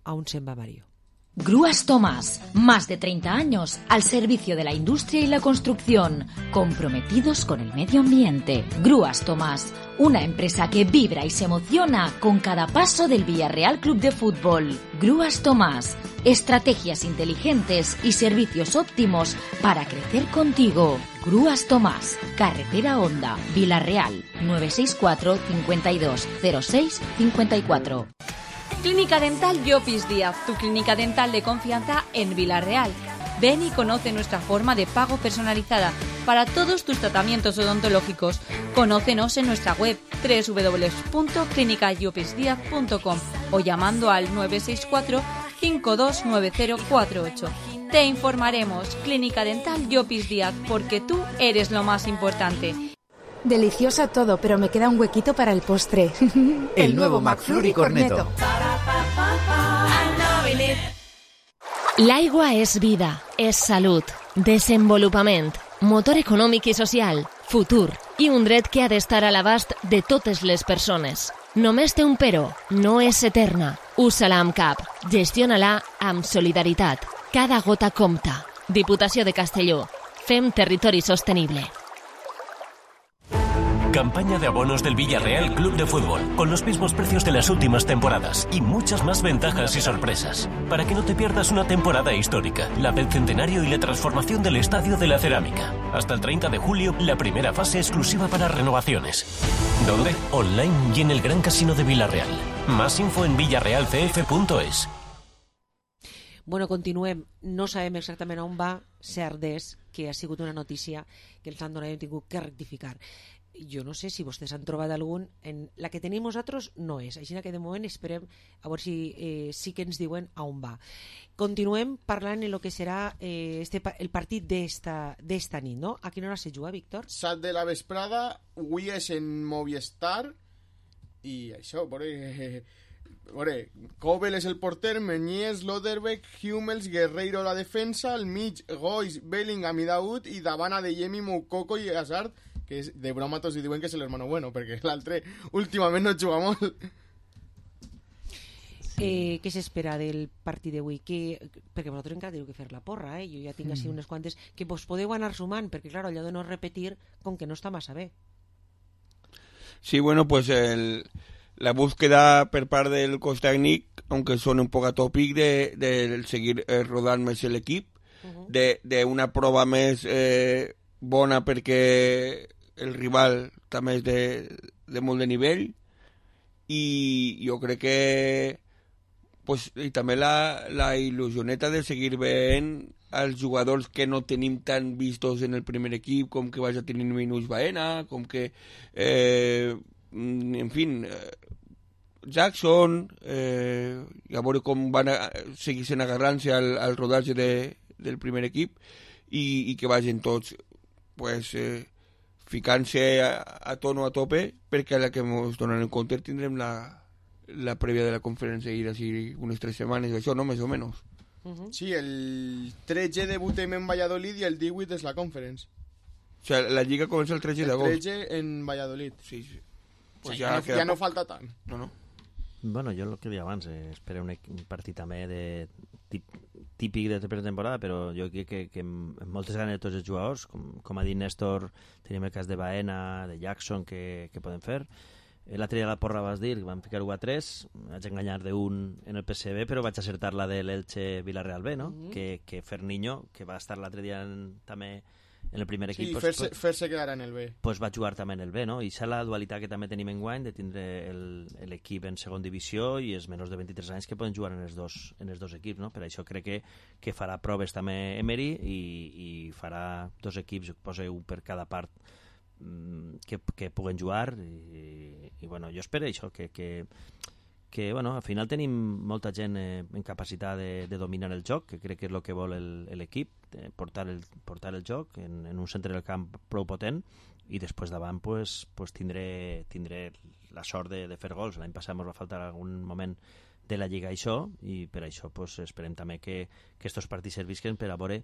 on se'n va Mario. Grúas Tomás, más de treinta años al servicio de la industria y la construcción, comprometidos con el medio ambiente. Grúas Tomás, una empresa que vibra y se emociona con cada paso del Villarreal Club de Fútbol. Grúas Tomás, estrategias inteligentes y servicios óptimos para crecer contigo. Grúas Tomás, carretera Honda, Villarreal, nueve seis cuatro, cincuenta y dos, cero seis, cincuenta y cuatro. Clínica Dental Llopis Díaz, tu clínica dental de confianza en Villarreal. Ven y conoce nuestra forma de pago personalizada para todos tus tratamientos odontológicos. Conócenos en nuestra web doble u doble u doble u punto clínica llopis díaz punto com o llamando al nueve seis cuatro, cinco dos nueve cero cuatro ocho. Te informaremos. Clínica Dental Llopis Díaz, porque tú eres lo más importante. Delicioso todo, pero me queda un huequito para el postre. El, el nuevo McFlurry Corneto. L'aigua és vida, és salut, desenvolupament, motor econòmic i social, futur i un dret que ha d'estar a l'abast de totes les persones. Només té un però, no és eterna. Usa-la amb cap, gestiona-la amb solidaritat. Cada gota compta. Diputació de Castelló. Fem territori sostenible. Campaña de abonos del Villarreal Club de Fútbol, con los mismos precios de las últimas temporadas y muchas más ventajas y sorpresas, para que no te pierdas una temporada histórica, la del centenario y la transformación del Estadio de la Cerámica. Hasta el treinta de julio, la primera fase exclusiva para renovaciones. ¿Dónde? Online y en el Gran Casino de Villarreal. Más info en villarreal c f punto es. Bueno, continuem. No sabem exactament on va, cert és que ha sigut una notícia que els han donat i hem tingut que rectificar. Jo no sé si vostès han trobat algun. En la que tenim nosaltres no és, així que de moment esperem a veure si eh, sí que ens diuen a on va. Continuem parlant en el que serà eh, este, el partit d'esta, d'esta nit, no? A quina hora se juga, Víctor? Set de la vesprada, avui és en Movistar i això, veure, eh, veure, Kobel és el porter, Meñies, Loderbeck, Hummels, Guerreiro la defensa, al mig Gois, Bellingham i Daoud, i davant Adeyemi, Moukoko i Hazard, que és, de broma tots hi diuen que és l'hermano bueno, perquè l'altre últimament no juga molt. Eh, què s'espera del partit d'avui? Que, perquè vosaltres encara teniu que fer la porra, eh? Jo ja tinc així unes quantes que vos podeu anar sumant, perquè clar, allò de no repetir com que no està massa bé. Sí, bueno, pues el, la búsqueda per part del cos tècnic, aunque sona un poc atòpic, de, de seguir eh, rodant més l'equip, uh-huh. de, de una prova més eh, bona perquè el rival també és de, de molt de nivell, i jo crec que pues, i també la, la il·lusioneta de seguir veient els jugadors que no tenim tan vistos en el primer equip, com que vaja tenir minuts Baena, com que eh, en fi eh, Jackson eh, i a veure com van a, seguissin agarrant-se al, al rodatge de, del primer equip i, i que vagin tots pues, eh, ficant-se a, a tono a tope, perquè a la que ens donen en compte tindrem la, la prèvia de la conferència i d'ací unes tres setmanes, això, no? Més o menys. Uh-huh. Sí, el tretze debutem en Valladolid i el divuit és la conference. O sea, la lliga comença el tretze d'agost. El tretze en Valladolid. Sí, sí. Pues o sea, ja, ja, no, ja no falta tant. No, no. Bueno, jo el que deia abans, eh, espero un, un partit també de tip, típic de pretemporada, però jo crec que, que amb moltes ganes de tots els jugadors, com, com ha dit Néstor, tenim el cas de Baena, de Jackson, que, que poden fer. L'altre dia a la porra vas dir que vam ficar u a tres, vaig enganyar d'un en el P S B, però vaig acertar la de l'Elche Villarreal B, no? Mm-hmm. que, que Ferniño, que va estar l'altre dia en, també en el primer equip, sí, pues, fer-se, fer-se quedar en el B, pues va jugar també en el B, no? I és la dualitat que també tenim en guany de tindre l'equip en segon divisió i els menors de vint-i-tres anys que poden jugar en els dos, en els dos equips, no? Per això crec que, que farà proves també Emery i, i farà dos equips, posa un per cada part que, que puguen jugar i, i bueno, jo espero això que, que, que bueno, al final tenim molta gent eh, en capacitat de, de dominar el joc, que crec que és el que vol l'equip, portar el, portar el joc en, en un centre del camp prou potent i després davant pues, pues tindré, tindré la sort de, de fer gols. L'any passat ens va faltar algun moment de la Lliga això i per això pues, esperem també que, que estos partits servisquen per a veure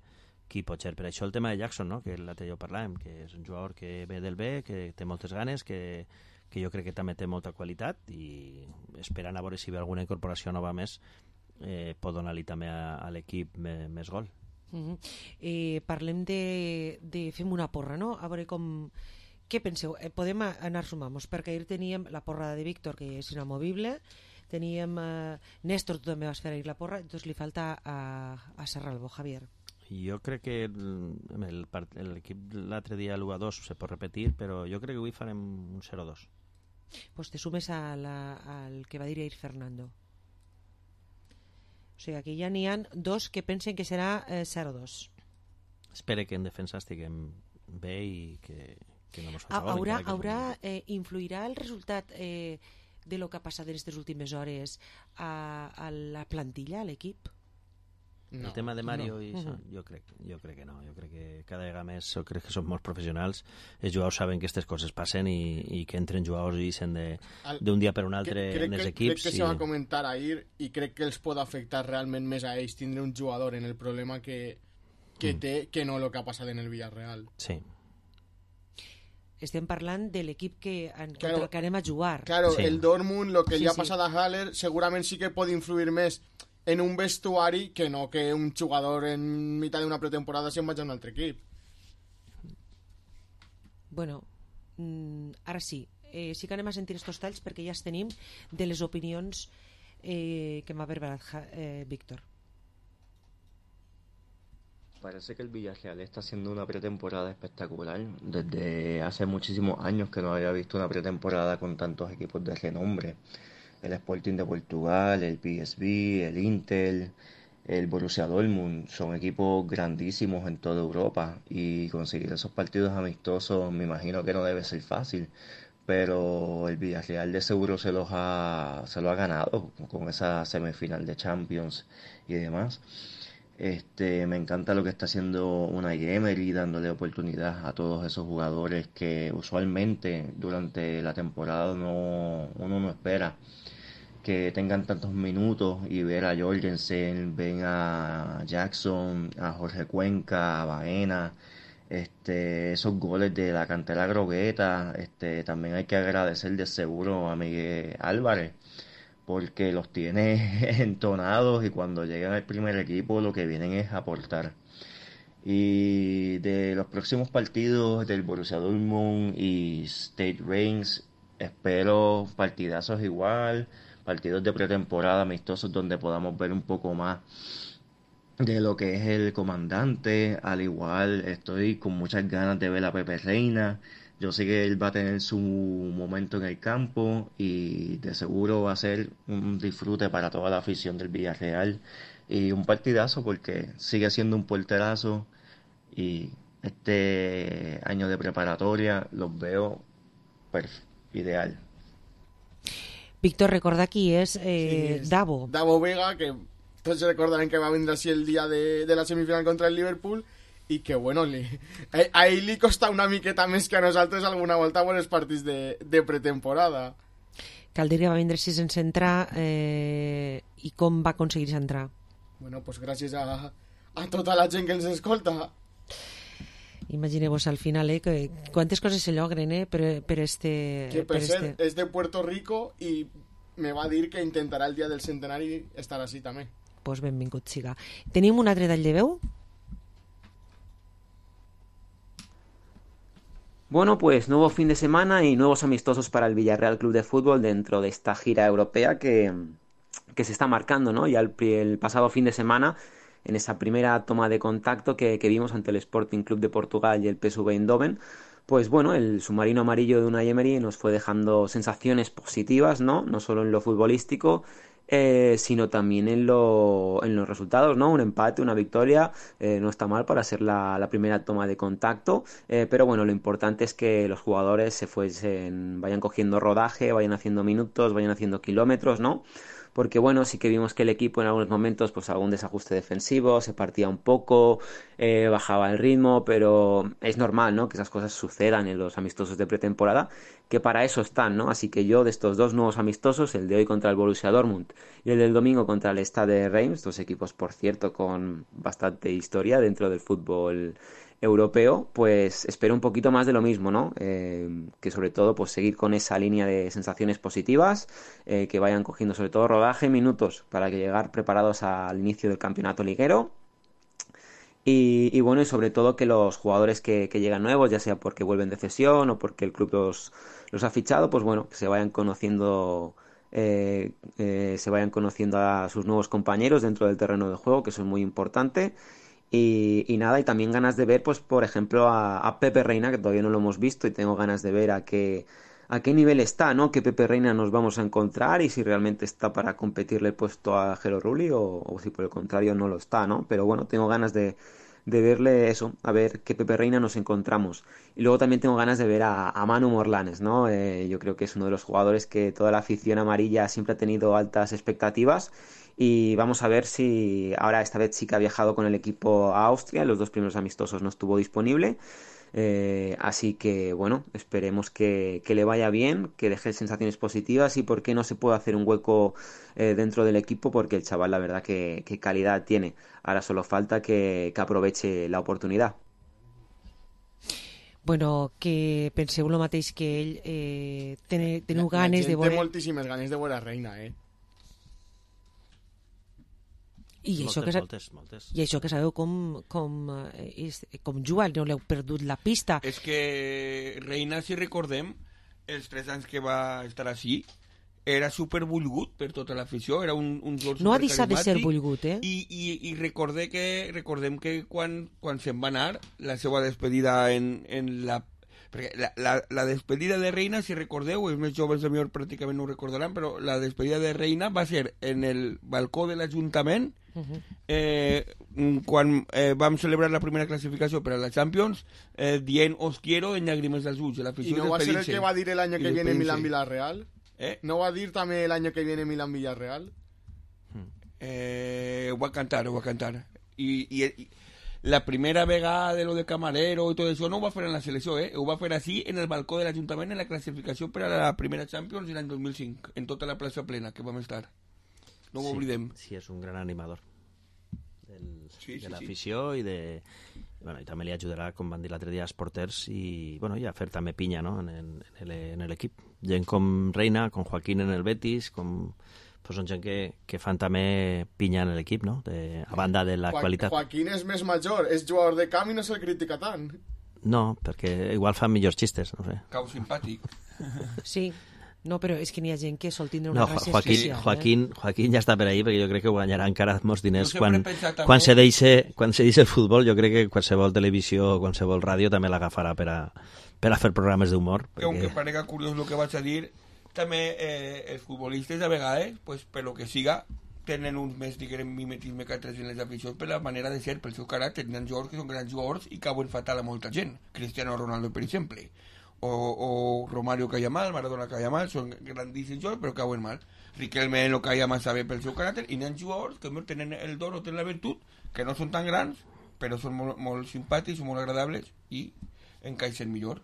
qui pot ser. Per això el tema de Jackson, no? Que l'altre jo parlàvem, que és un jugador que ve del B, que té moltes ganes, que, que jo crec que també té molta qualitat i esperant a veure si ve alguna incorporació nova més eh, pot donar-li també a, a l'equip més, més gol. Uh-huh. eh, parlem de, de fem una porra, no? A veure com... Què penseu? Eh, podem anar sumant-nos, perquè ahir teníem la porra de Víctor, que és inamovible, teníem eh, Néstor, tu també vas fer ahir la porra, doncs li falta a, a Serralbo, Javier. Jo crec que l'equip l'altre dia l'u a dos se pot repetir, però jo crec que avui farem un zero a dos. Pues te sumes a la, al que va dir ahir Fernando. O sigui, aquí ja n'hi ha dos que pensen que serà eh, zero a dos. Espero que en defensa estiguem bé i que, que no ens faci gol. Haurà, haurà eh, influirà el resultat eh, de lo que ha passat en aquestes últimes hores a, a la plantilla, a l'equip? No, el tema de Mario no. i això, uh-huh. jo, crec, jo crec que no, jo crec que cada vegada més jo crec que som molt professionals, els jugadors saben que aquestes coses passen i, i que entren jugadors i sen d'un dia per un altre crec, en els que, equips. Crec que i... se va comentar ahir i crec que els pot afectar realment més a ells tindre un jugador en el problema que, que mm. té que no el que ha passat en el Villarreal. Sí. Estem parlant de l'equip que, en, claro, contra el que anem a jugar. Claro, sí. el Dortmund, lo que sí, li ha sí. passat a Haller segurament sí que pot influir més en un vestuari que no que un jugador en mitad de una pretemporada se'n vagi a un altre equip. Bueno, mm, ara sí, eh, sí que anem a sentir estos talls perquè ja els tenim de les opinions eh, que m'ha preparat eh, Víctor. Parece que el Villarreal está haciendo una pretemporada espectacular. Desde hace muchísimos años que no había visto una pretemporada con tantos equipos de renombre. El Sporting de Portugal, el P S V, el Inter, el Borussia Dortmund, son equipos grandísimos en toda Europa y conseguir esos partidos amistosos me imagino que no debe ser fácil, pero el Villarreal de seguro se los ha, se lo ha ganado con esa semifinal de Champions y demás. Este, me encanta lo que está haciendo Unai Emery, dándole oportunidad a todos esos jugadores que usualmente durante la temporada no, uno no espera que tengan tantos minutos, y ver a Jorgensen, ven a Jackson, a Jorge Cuenca, a Baena, este, esos goles de la cantera grogueta, este, también hay que agradecer de seguro a Miguel Álvarez, porque los tiene entonados y cuando llegan al primer equipo lo que vienen es aportar. Y de los próximos partidos del Borussia Dortmund y Stade Reims, espero partidazos igual, partidos de pretemporada amistosos donde podamos ver un poco más de lo que es el comandante. Al igual estoy con muchas ganas de ver a Pepe Reina. Yo sé que él va a tener su momento en el campo y de seguro va a ser un disfrute para toda la afición del Villarreal y un partidazo porque sigue siendo un porterazo y este año de preparatoria los veo perf- ideal. Víctor, recorda qui és eh, Sí, és Davo. Davo Vega, que tots recordarem que va vindre així el dia de, de la semifinal contra el Liverpool i que, bueno, li, a, a ell li costa una miqueta més que a nosaltres alguna volta amb els partits de, de pretemporada. Cal dir que va vindre així sense entrar eh, i com va aconseguir entrar. Bueno, pues gràcies a, a tota la gent que ens escolta. Imagineu-vos al final, eh, que quantes coses se llogren, eh, per, per este... Que per, per cert, este... és de Puerto Rico i me va dir que intentarà el dia del centenari estar així també. Pues benvingut siga. Tenim un altre tall de veu? Bueno, pues nuevo fin de semana y nuevos amistosos para el Villarreal Club de Fútbol dentro de esta gira europea que, que se está marcando, ¿no? Ya el, el pasado fin de semana, en esa primera toma de contacto que, que vimos ante el Sporting Club de Portugal y el P S V Eindhoven, pues bueno, el submarino amarillo de Unai Emery nos fue dejando sensaciones positivas, ¿no? No solo en lo futbolístico, eh, sino también en, lo, en los resultados, ¿no? Un empate, una victoria, eh, no está mal para ser la, la primera toma de contacto, eh, pero bueno, lo importante es que los jugadores se fuesen, vayan cogiendo rodaje, vayan haciendo minutos, vayan haciendo kilómetros, ¿no? Porque bueno, sí que vimos que el equipo en algunos momentos, pues algún desajuste defensivo, se partía un poco, eh, bajaba el ritmo, pero es normal, ¿no? Que esas cosas sucedan en los amistosos de pretemporada, que para eso están, ¿no? Así que yo de estos dos nuevos amistosos, el de hoy contra el Borussia Dortmund y el del domingo contra el Stade Reims, dos equipos, por cierto, con bastante historia dentro del fútbol europeo, pues espero un poquito más de lo mismo, ¿no? Eh, que sobre todo pues seguir con esa línea de sensaciones positivas, eh, que vayan cogiendo sobre todo rodaje, minutos para que llegar preparados al inicio del campeonato liguero y, y bueno, y sobre todo que los jugadores que, que llegan nuevos, ya sea porque vuelven de cesión o porque el club los, los ha fichado, pues bueno, que se vayan conociendo eh, eh, se vayan conociendo a sus nuevos compañeros dentro del terreno de juego, que eso es muy importante. Y, y nada, y también ganas de ver, pues por ejemplo, a, a Pepe Reina, que todavía no lo hemos visto y tengo ganas de ver a qué, a qué nivel está, ¿no? Qué Pepe Reina nos vamos a encontrar y si realmente está para competirle el puesto a Jero Rulli o, o si por el contrario no lo está, ¿no? Pero bueno, tengo ganas de, de verle eso, a ver qué Pepe Reina nos encontramos. Y luego también tengo ganas de ver a, a Manu Morlanes, ¿no? Eh, yo creo que es uno de los jugadores que toda la afición amarilla siempre ha tenido altas expectativas. Y vamos a ver si ahora esta vez sí que ha viajado con el equipo a Austria, en los dos primeros amistosos no estuvo disponible, eh, así que bueno, esperemos que, que le vaya bien, que deje sensaciones positivas y por qué no se puede hacer un hueco eh, dentro del equipo, porque el chaval la verdad que, que calidad tiene, ahora solo falta que, que aproveche la oportunidad. Bueno, que penseu el mateix que ell, eh, tene, teniu La, ganes la de veure... Té moltíssimes ganes de veure Reina, eh? I moltes, això que, moltes, moltes. I això que sabeu com, com, eh, és, com juga, no l'heu perdut la pista. És que Reina, si recordem, els tres anys que va estar així, era supervolgut per tota l'afició, era un, un jugador no ha deixat de ser supercarismàtic, volgut, eh? I, i, i recordem que, recordem que quan, quan se'n va anar, la seva despedida en, en la... Perquè la, la, la despedida de Reina, si recordeu, els més joves de millor pràcticament no ho recordaran, però la despedida de Reina va ser en el balcó de l'Ajuntament, uh-huh. eh, quan eh, vam celebrar la primera classificació per a la Champions, eh, dient os quiero en llàgrimes dels ulls. ¿Y no va a ser el que va a dir el año que viene Milán-Villarreal? ¿Eh? ¿No va a dir també el año que viene Milán-Villarreal? Eh, ho va cantar, ho va cantar. I, i, i la primera vegada de lo de camarero i tot això no ho va fer en la selecció, eh? Ho va fer així en el balcó de l'Ajuntament en la classificació per a la primera Champions l'any dos mil cinc, en tota la plaça plena que vam estar. No ho sí, oblidem. Sí, és un gran animador del, sí, sí, de l'afició sí. i de... Bueno, i també li ajudarà, com van dir l'altre dia, als porters i, bueno, i a fer també pinya, no?, en l'equip. Gent com Reina, com Joaquín en el Betis, com... Pues són gent que, que fan també pinya en l'equip, no?, de, a banda de la Jo- qualitat. Joaquín és més major, és jugador de camp i no se'l critica tant. No, perquè igual fan millors xistes, no sé. Cau simpàtic. Sí. No, però és que n'hi ha gent que sol tindre una no, gràcia Joaquín, especial. Joaquín, eh? Joaquín ja està per ahí, perquè jo crec que guanyarà encara molts diners. Jo Quan, també... quan, se deixe, quan se deixe el futbol, jo crec que qualsevol televisió o qualsevol ràdio també l'agafarà per, a, per a fer programes d'humor. Perquè... Aunque parega curiós el que vaig a dir, també eh, els futbolistes a vegades, pues, per lo que siga, tenen un més, diguem, mimetisme que altres en les aficions per la manera de ser, pel seu caràcter. Tenen jugadors que són grans jugadors i cauen fatal a molta gent. Cristiano Ronaldo, per exemple. O, o Romario caia mal, Maradona caia mal, són grandíssims jugadors però cauen mal. Riquelme no caia massa bé pel seu caràcter i n'hi ha jugadors que tenen el don o tenen la virtut, que no són tan grans però són molt, molt simpàtics, molt agradables i encaixen millor.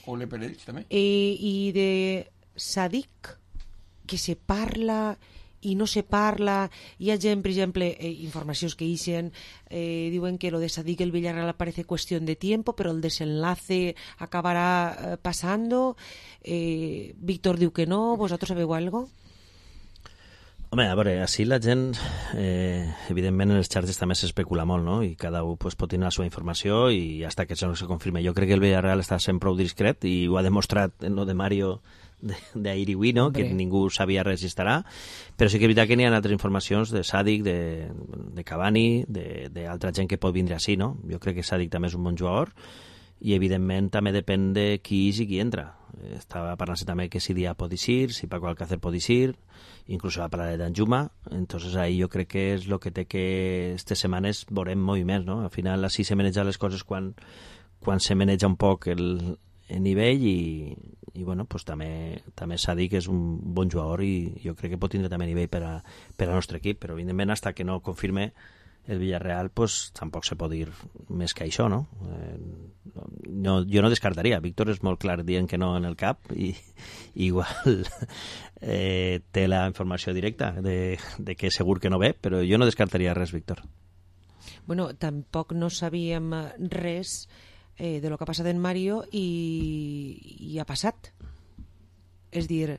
Ole per ells també. Eh, I de Sadik, que se parla i no se parla, hi ha gent, per exemple, eh, informacions que ixen, eh, diuen que lo de Sadik el Villarreal parece cuestión de tiempo, pero el desenlace acabará eh, pasando. Eh, Víctor diu que no, ¿vosotros sabeu algo? Home, a veure, així la gent, eh, evidentment en els xarxes també s'especula molt, no? I cada un pues, pot tenir la seva informació i hasta que això no se confirme. Jo crec que el Villarreal està sent prou discret i ho ha demostrat en lo de Mario d'ahir i avui, no? Que ningú sabia res i estarà, però sí que és veritat que n'hi ha altres informacions de Sadik, de, de Cavani, d'altra gent que pot vindre així, no? Jo crec que Sadik també és un bon jugador i evidentment també depèn de qui és i qui entra. Estava parlant-se també que si Dia pot eixir, si Paco Alcácer pot eixir, inclús va parlar de Danjuma, entonces ahí jo crec que és el que té que aquestes setmanes veurem moviments, no? Al final així se maneja les coses quan, quan se maneja un poc el, el nivell i, i bueno, pues també, també s'ha dit que és un bon jugador i jo crec que pot tindre també nivell per, a, per al nostre equip, però evidentment hasta que no confirme el Villarreal pues tampoc se pot dir més que això, no? Eh, no jo no descartaria, Víctor és molt clar dient que no en el cap i, i igual eh, té la informació directa de, de que segur que no ve, però jo no descartaria res, Víctor. Bueno, tampoc no sabíem res eh, de lo que ha passat en Mario i, i ha passat. És dir...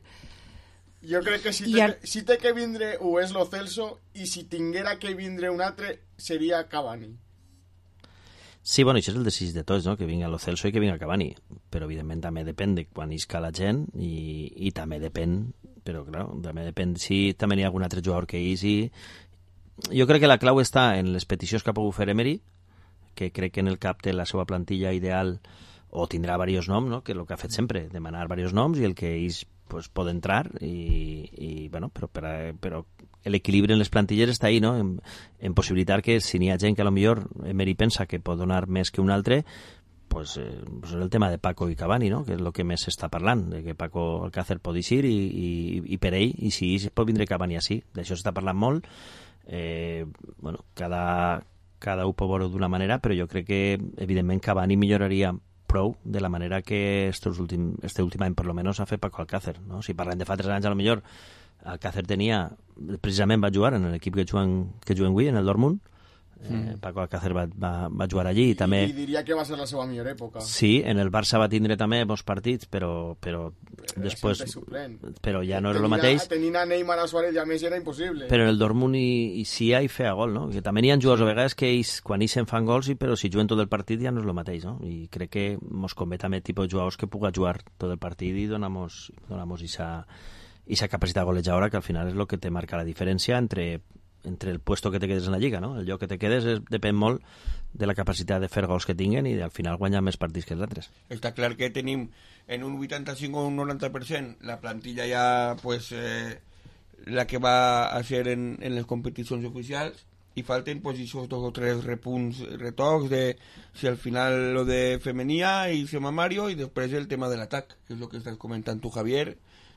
Jo crec que si té, a... si té que vindre o és lo Celso i si tinguera que vindre un altre seria Cavani. Sí, bueno, això és el desig de tots, no? Que vinga lo Celso i que vinga Cavani, però evidentment també depèn de quan isca la gent i, i també depèn, però clar, també depèn si també hi ha algun altre jugador que isi. Jo crec que la clau està en les peticions que ha pogut fer Emery, que crec que en el cap té la seva plantilla ideal o tindrà diversos noms, no? Que és el que ha fet sempre, demanar diversos noms i el que ells pues, pot entrar i, i bueno, però, però, però l'equilibri en les plantilles està ahí, no? En, en possibilitar que si n'hi ha gent que a lo millor Emery pensa que pot donar més que un altre, pues, eh, pues és el tema de Paco i Cavani, no? Que és el que més s'està parlant, de que Paco Alcácer pot eixir i, i, i per ell, i si pot vindre Cavani així, d'això s'està parlant molt. Eh, bueno, cada, cada un pot veure d'una manera, però jo crec que evidentment Cavani milloraria prou de la manera que este últim, este últim any per lo menos ha fet Paco Alcácer, no? Si parlem de fa tres anys a lo millor Alcácer tenia, precisament va jugar en l'equip que juguen, que juguen avui, en el Dortmund. Eh, mm. Paco Alcácer va, va, va jugar allí i, i també... I diria que va ser la seva millor època. Sí, en el Barça va tindre també bons partits, però, però, però després... Però ja no era el mateix. Tenint a Neymar, a Suárez i a Messi era impossible. Però en el Dortmund i, i sí hi feia gol, no? Que també n'hi ha jugadors a vegades que ells, quan ells se'n fan gols, però si juguen tot el partit ja no és el mateix, no? I crec que mos convé també tipus de jugadors que puga jugar tot el partit i donamos, donamos esa, esa capacitat golejadora que al final és el que te marca la diferència entre... entre el puesto que te quedes en la lliga, no? El lloc que te quedes és, depèn molt de la capacitat de fer gols que tinguen i al final guanyar més partits que els altres. Està clar que tenim en un vuitanta-cinc o un noranta per cent la plantilla ja pues, eh, la que va a ser en, en les competicions oficials i falten pues, esos dos o tres repunts, retocs de si al final lo de Femenía i Sema Mario i després el tema de l'atac, que és el que estàs comentant tu, Javier.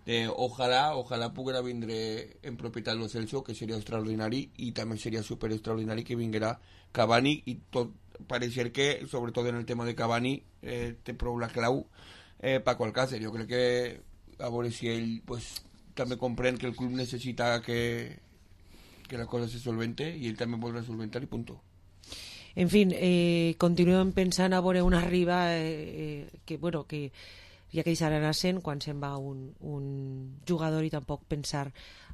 Eh, ojalà, ojalà poguera vindre en propietat lo Celso, que seria extraordinari i també seria super extraordinari que vinguera Cavani i tot pareixer que, sobretot en el tema de Cavani eh, té prou la clau eh, Paco Alcácer. Jo crec que a veure si ell pues, també comprèn que el club necessita que, que la cosa se solvente i ell també vol resolventar i punto. En fin, eh, continuem pensant a veure una riba eh, que, bueno, que ja que deixaran a cent quan se'n va un, un jugador i tampoc pensar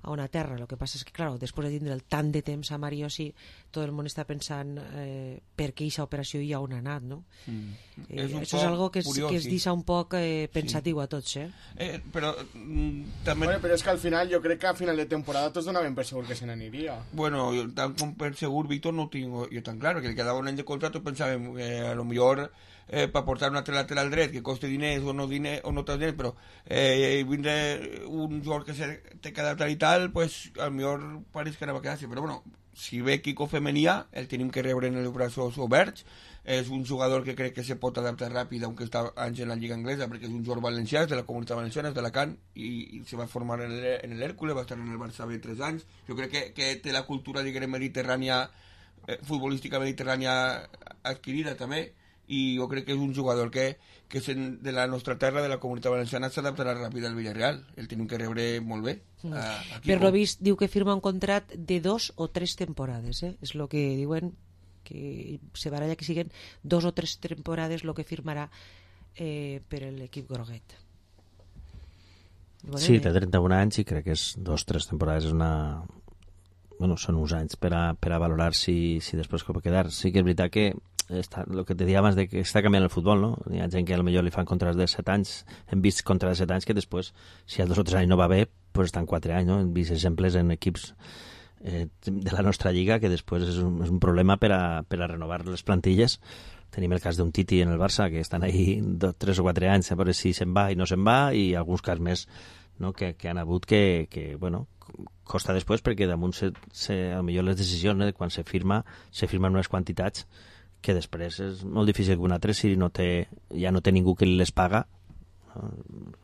a una terra. Lo que passa és que, claro, després de tindre tant de temps a Mario, sí, tot el món està pensant eh, per què aquesta operació i on ha anat, no? Mm. Eh, és això és algo que, és, curiós, que es sí. deixa un poc eh, pensatiu sí. a tots, eh? eh però mm, també... Bueno, però és que al final, jo crec que a final de temporada tots donaven per segur que se n'aniria. Bueno, jo, tant com per segur, Víctor, no ho tinc jo tan claro, que li quedava un any de contrato, pensàvem que eh, a lo millor eh, per portar un altre lateral dret que costi diners o no, diner, o no té diners, però eh, vindre un jugador que se té quedat tal i tal, pues a lo millor pareix que anava a quedar-se, però bueno, si ve Kiko Femenia, el tenim que rebre en els braços oberts. És un jugador que crec que se pot adaptar ràpid, aunque està anys en la Lliga Anglesa, perquè és un jugador valencià, és de la Comunitat Valenciana, és d'Alacant, i, i se va formar en el, en l'Hèrcules, va estar en el Barça bé tres anys. Jo crec que, que té la cultura, diguem, mediterrània, eh, futbolística mediterrània adquirida també, i jo crec que és un jugador que, que és de la nostra terra, de la Comunitat Valenciana, s'adaptarà ràpid al Villarreal. El tenim que rebre molt bé. Mm. A, a per lo vist, diu que firma un contrat de dos o tres temporades, eh? És el que diuen, que se baralla que siguen dos o tres temporades lo que firmarà eh, per l'equip groguet. Bueno, sí, té trenta-un anys i crec que és dos o tres temporades, és una... Bueno, són uns anys per a, per a valorar si, si després com va quedar. Sí que és veritat que està, el que te deia abans de que està canviant el futbol, no? Hi ha gent que potser li fan contrats de set anys, hem vist contrats de set anys que després, si a dos o tres anys no va bé, pues estan quatre anys, no? Hem vist exemples en equips Eh, de la nostra lliga, que després és un, és un problema per a, per a renovar les plantilles. Tenim el cas d'un Titi en el Barça, que estan ahí dos, tres o quatre anys a veure si se'n va i no se'n va, i alguns cas més, no? que, que han hagut que, que bueno, costa després, perquè damunt se, se, a millor les decisions, eh, quan se firma, se firmen unes quantitats que després és molt difícil que un altre, si no té, ja no té ningú que les paga. No?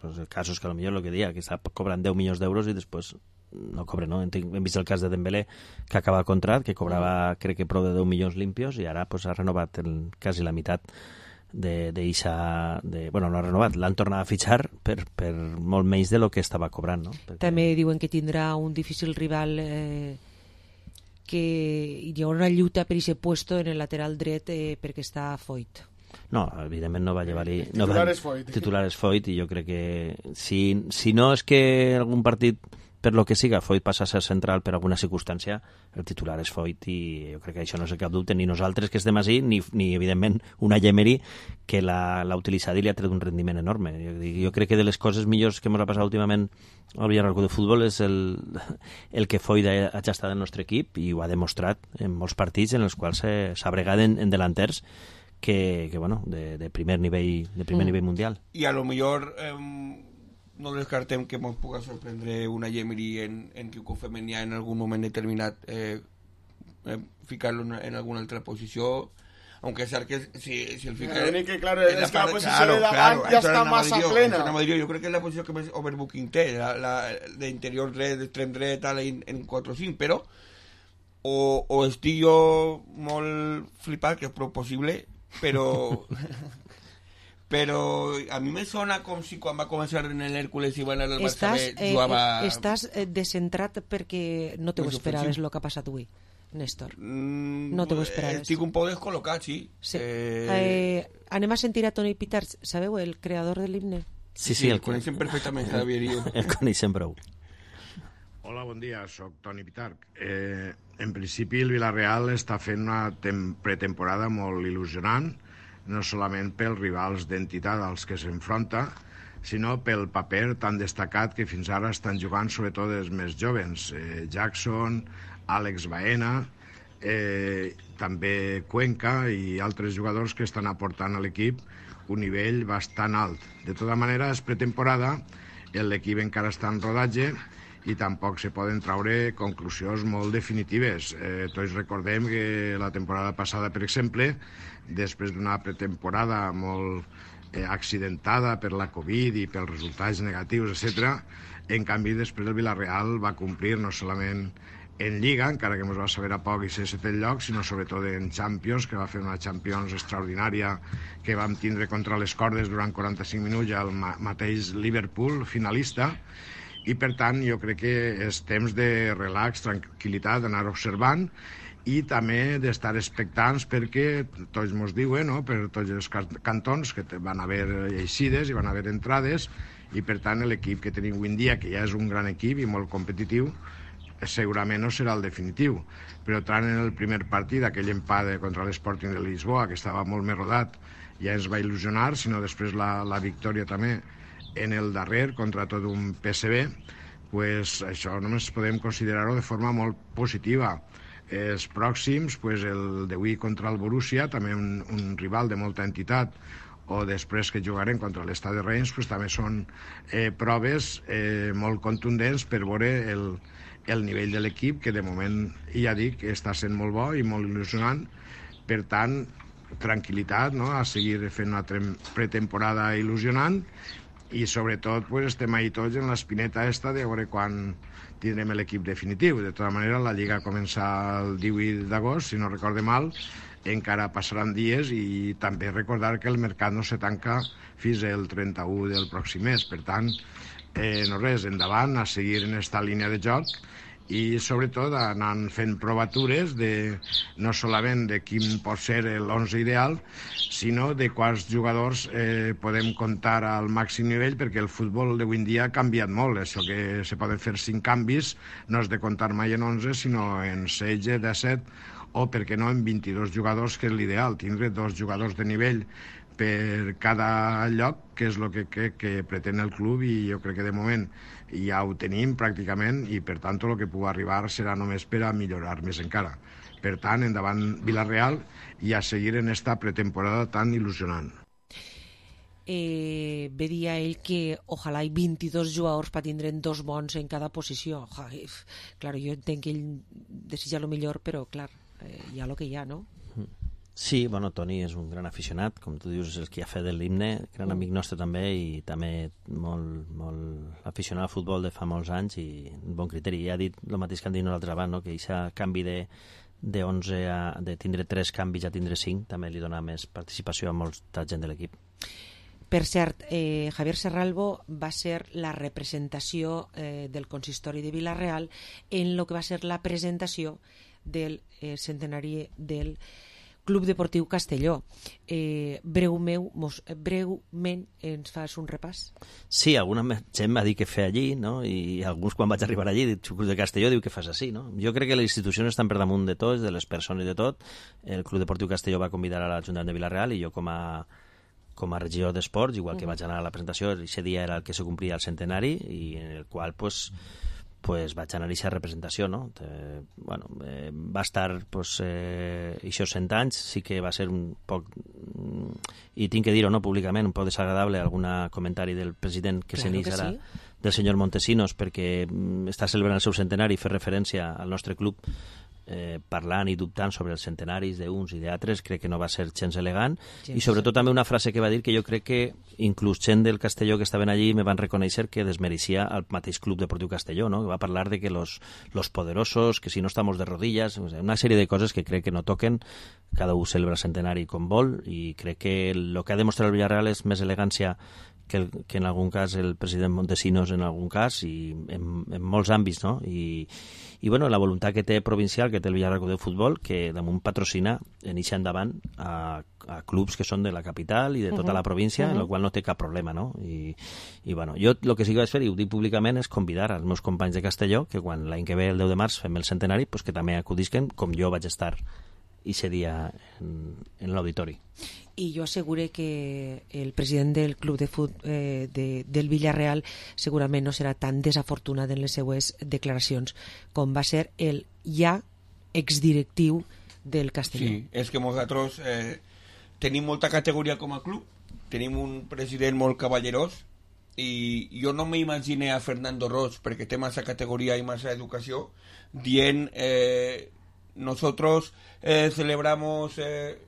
Pues el cas és que a lo millor el que dia, que està cobrant deu milions d'euros i després no cobre, no? Hem vist el cas de Dembélé, que acaba el contrat, que cobrava crec que prou de deu milions limpios, i ara pues, ha renovat el, quasi la meitat de, de Isa, de, bueno, no ha renovat, l'han tornat a fitxar per, per molt menys de lo que estava cobrant, no? Perquè... També diuen que tindrà un difícil rival, eh, que hi haurà una lluita per aquest puesto en el lateral dret, eh, perquè està Foyt. No, evidentment no va llevar-hi... No titular va... és Foyt. Titular és Foyt, i jo crec que si, si no és que algun partit per lo que siga, Foyt passa a ser central per alguna circumstància, el titular és Foyt, i jo crec que això no és cap dubte, ni nosaltres que estem així, ni, ni evidentment una Emery que l'ha utilitzat i li ha tret un rendiment enorme. Jo, jo crec que de les coses millors que ens ha passat últimament al Villarreal Club de Futbol és el, el que Foyt ha, ha estat del nostre equip, i ho ha demostrat en molts partits en els quals s'ha bregat en, en delanters que, que bueno, de, de primer nivell, de primer mm. nivell mundial. I a lo millor... Eh... no descartem que ens pugui sorprendre una Emery en, en Kiko Femenia en algun moment determinat, eh, eh, ficar-lo en, en alguna altra posició, aunque sea que si, si el fica... Eh, que, claro, es que la posició claro, de davant claro, ja està massa jo, plena. Jo crec que és la posició que més overbooking té, la, la, d'interior dret, d'extrem dret, tal, en, en quatre o cinc, però o, o estic jo molt flipat, que és prou possible, però... però a mi me sona com si quan va començar en l'Hèrcules i va anar al Barça B jugava... Eh, estàs eh, descentrat perquè no te ho esperaves el que ha passat avui, Néstor. Mm, no te ho esperaves. Estic un poc descol·locat, sí. sí. Eh... Eh, anem a sentir a Toni Pitarch, sabeu, el creador de l'himne? Sí, sí, sí, el, el coneixem perfectament, Javier i jo. El coneixem prou. Hola, bon dia, soc Toni Pitarch. Eh, en principi el Villarreal està fent una pretemporada molt il·lusionant, no solament pels rivals d'entitat als que s'enfronta, sinó pel paper tan destacat que fins ara estan jugant sobretot els més jovens. Eh, Jackson, Àlex Baena, eh, també Cuenca i altres jugadors que estan aportant a l'equip un nivell bastant alt. De tota manera, és pretemporada, l'equip encara està en rodatge i tampoc se poden traure conclusions molt definitives. Eh, tots recordem que la temporada passada, per exemple, després d'una pretemporada molt eh, accidentada per la Covid i pels resultats negatius, etcètera, en canvi després el Villarreal va complir no solament en Lliga, encara que ens va saber a poc i ser setè lloc, sinó sobretot en Champions, que va fer una Champions extraordinària que vam tindre contra les cordes durant quaranta-cinc minuts al ma mateix Liverpool, finalista, i per tant jo crec que és temps de relax, tranquil·litat, d'anar observant i també d'estar expectants perquè tots ens diuen, no?, per tots els cantons que van haver eixides i van haver entrades i per tant l'equip que tenim avui en dia, que ja és un gran equip i molt competitiu, segurament no serà el definitiu, però tant en el primer partit, aquell empat contra l'Sporting de Lisboa, que estava molt més rodat, ja ens va il·lusionar, sinó després la, la victòria també en el darrer contra tot un P S V, pues això només podem considerar-ho de forma molt positiva. Els pròxims, pues el d'avui contra el Borussia, també un, un rival de molta entitat, o després que jugarem contra l'Stade Reims, pues també són eh, proves eh, molt contundents per veure el, el nivell de l'equip, que de moment, ja dic, està sent molt bo i molt il·lusionant. Per tant, tranquil·litat, no?, a seguir fent una pretemporada il·lusionant, i sobretot pues, estem ahí tots en l'espineta esta de veure quan tindrem l'equip definitiu. De tota manera, la Lliga comença el divuit d'agost, si no recorde mal, encara passaran dies, i també recordar que el mercat no se tanca fins al trenta-u del pròxim mes. Per tant, eh, no res, endavant, a seguir en esta línia de joc, i sobretot anant fent provatures de, no solament de quin pot ser l'onze ideal, sinó de quants jugadors eh, podem comptar al màxim nivell, perquè el futbol d'avui en dia ha canviat molt. Això que se poden fer cinc canvis no és de comptar mai en onze, sinó en setze, disset, o per què no en vint-i-dos jugadors, que és l'ideal, tindre dos jugadors de nivell per cada lloc, que és el que, que, que pretén el club, i jo crec que de moment ja ho tenim pràcticament, i per tant el que pugui arribar serà només per a millorar més encara. Per tant, endavant Villarreal, i a seguir en esta pretemporada tan il·lusionant. Eh, veia ell que ojalà hi vint-i-dos jugadors per tindre'n dos bons en cada posició. Ai, clar, jo entenc que ell desitja el millor, però clar, eh, hi ha el que hi ha, no? Sí, bueno, Toni és un gran aficionat, com tu dius, és el que ha fet l'himne, gran amic nostre també, i també molt, molt aficionat al futbol de fa molts anys, i un bon criteri. I ha dit el mateix que han dit nosaltres abans, no? Que aquest canvi de, de onze a de tindre tres canvis a tindre cinc també li dona més participació a molta gent de l'equip. Per cert, eh, Javier Serralbo va ser la representació eh, del consistori de Vila-real en el que va ser la presentació del eh, centenari del Club Deportiu Castelló. Eh, breument, mos, breument ens fas un repàs? Sí, alguna gent m'ha dit que fer allí, no? I alguns quan vaig arribar allí, el Club de Castelló, diu que fas així, no? Jo crec que les institucions estan per damunt de tots, de les persones de tot. El Club Deportiu Castelló va convidar a l'Ajuntament de Vila-real, i jo com a com a regidor d'esports, igual que vaig anar a la presentació, aquest dia era el que se complia el centenari, i en el qual pues, pues vaig anar a aquesta representació, no? Eh, bueno, eh, va estar pues, eh, aquests cent anys, sí que va ser un poc, i tinc que dir-ho no, públicament, un poc desagradable algun comentari del president que claro s'enix ara, sí. del senyor Montesinos, perquè està celebrant el seu centenari i fer referència al nostre club eh, parlant i dubtant sobre els centenaris d'uns i d'altres, crec que no va ser gens elegant, gens i sobretot també una frase que va dir que jo crec que inclús gent del Castelló que estaven allí me van reconèixer que desmereixia el mateix Club Deportiu Castelló, no? Que va parlar de que los, los poderosos, que si no estamos de rodillas, una sèrie de coses que crec que no toquen, cada un celebra el centenari com vol, i crec que el que ha demostrat el Villarreal és més elegància que, el, que en algun cas el president Montesinos en algun cas, i en, en molts àmbits, no? I, i bueno, la voluntat que té provincial, que té el Villarreal de Futbol, que damunt patrocina en eixa endavant a, a clubs que són de la capital i de tota uh -huh. la província, uh -huh. en el qual no té cap problema, no? I, i bueno, jo el que sí que vaig fer, i ho dic públicament, és convidar als meus companys de Castelló que quan l'any que ve, el deu de març, fem el centenari, pues que també acudisquen, com jo vaig estar ese dia en, en l'auditori. I jo asseguré que el president del club de fut, eh, de, del Villarreal segurament no serà tan desafortunat en les seues declaracions com va ser el ja exdirectiu del Castelló. Sí, és que nosaltres eh, tenim molta categoria com a club, tenim un president molt cavallerós, i jo no m'imaginé a Fernando Roig, perquè té massa categoria i massa educació, dient eh, nosotros eh, celebramos eh,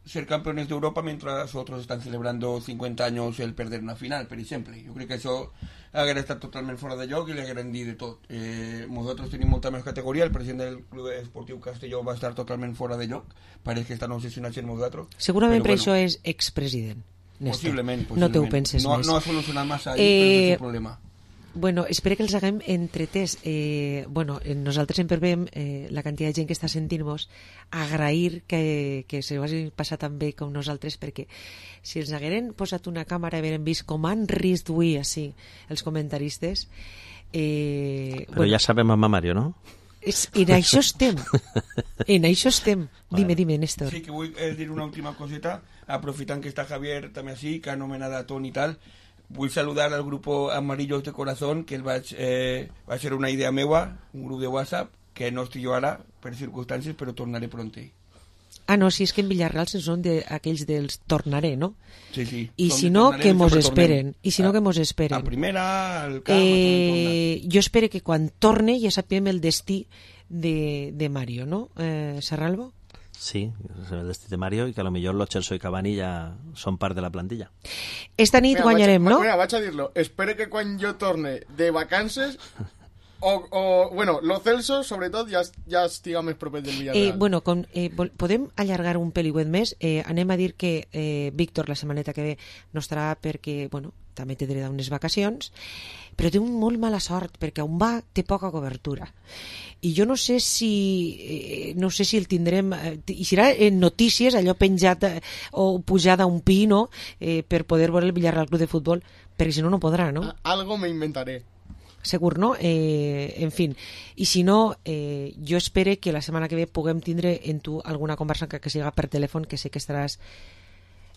ser campeones de Europa mientras otros están celebrando cincuenta años el perder una final, per exemple. Jo crec que això hauria estat totalment fora de lloc i li hauríem dit de tot. Eh, nosaltres tenim molta més categoria, el president del Club Esportiu Castelló va estar totalment fora de lloc, pareix que estan obsessionats en nosaltres. Segurament per bueno, això és expresident. Possiblement, possiblement. No te ho penses no, més. No ha solucionat massa, eh, però és el problema. Bueno, espero que els haguem entretès. Eh, bueno, nosaltres sempre veiem eh, la quantitat de gent que està sentint-nos, agrair que, que se ho hagi passat tan bé com nosaltres, perquè si els hagueren posat una càmera i hagueren vist com han risc d'avui així els comentaristes... Eh, Però bueno, ja sabem amb Mario, no? És, en això estem. En això estem. Dime, dime, Néstor. Sí, que vull eh, dir una última coseta, aprofitant que està Javier també així, que ha anomenat a Toni i tal. Vull saludar al grup Amarillos de Corazón, que el vaig, eh, va ser una idea meua, un grup de WhatsApp, que no estic jo ara per circumstàncies, però tornaré prontell. Ah, no, si és que en Villarreal se són d'aquells de, dels tornaré, no? Sí, sí. I si no, que mos esperen. I si no, que mos esperen. A primera, al camp... Eh, jo espero que quan torne ja sapiem el destí de, de Mario, no? Eh, Serralbo? Sí, el destí de Mario, i que a lo millor los Celso i Cavani ja són part de la plantilla. Esta nit mira, guanyarem, vaig, no? Mira, vaig a dir-lo. Espero que quan jo torne de vacances... O, o, bueno, lo Celso, sobretot, ja, ja estiga més proper del Villarreal. Eh, bueno, com, eh, podem allargar un peliuet més. Eh, anem a dir que eh, Víctor la setmaneta que ve no estarà perquè, bueno, també té dret a unes vacacions, però té un molt mala sort, perquè on va té poca cobertura. I jo no sé si eh, no sé si el tindrem... Eh, i serà en notícies, allò penjat eh, o pujat a un pi, no?, eh, per poder veure el Villarreal Club de Futbol, perquè si no, no podrà, no? Algo me inventaré. Segur, no? Eh, en fin, i si no, eh, jo espero que la setmana que ve puguem tindre en tu alguna conversa que, que siga per telèfon, que sé que estaràs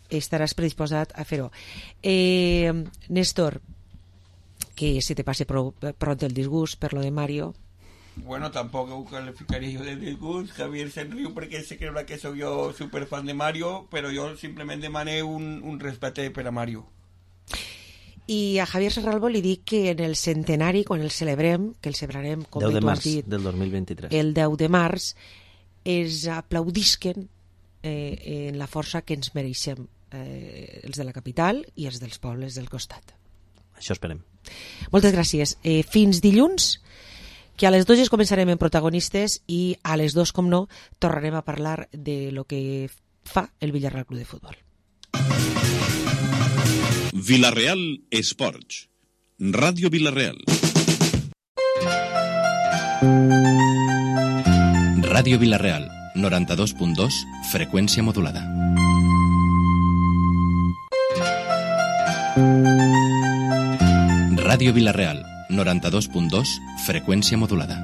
estaràs predisposat a fer-ho. Eh, Néstor, que se te passe prou, prou el disgust per lo de Mario. Bueno, tampoc ho calificaria jo de disgust. Javier se'n riu perquè se creurà que soc jo superfan de Mario, però jo simplement demané un, un respecte per a Mario. I a Javier Serralbo li dic que en el centenari, quan el celebrem, que el celebrarem, com deu de tu has març dit, del dos mil vint-i-tres. El deu de març, es aplaudisquen eh, en la força que ens mereixem, eh, els de la capital i els dels pobles del costat. Això esperem. Moltes gràcies. Eh, fins dilluns, que a les dues començarem en protagonistes i a les dues, com no, tornarem a parlar de lo que fa el Villarreal Club de Futbol. Villarreal Esports. Ràdio Villarreal. Ràdio Villarreal, noranta-dos punt dos, freqüència modulada. Ràdio Villarreal, noranta-dos punt dos, freqüència modulada.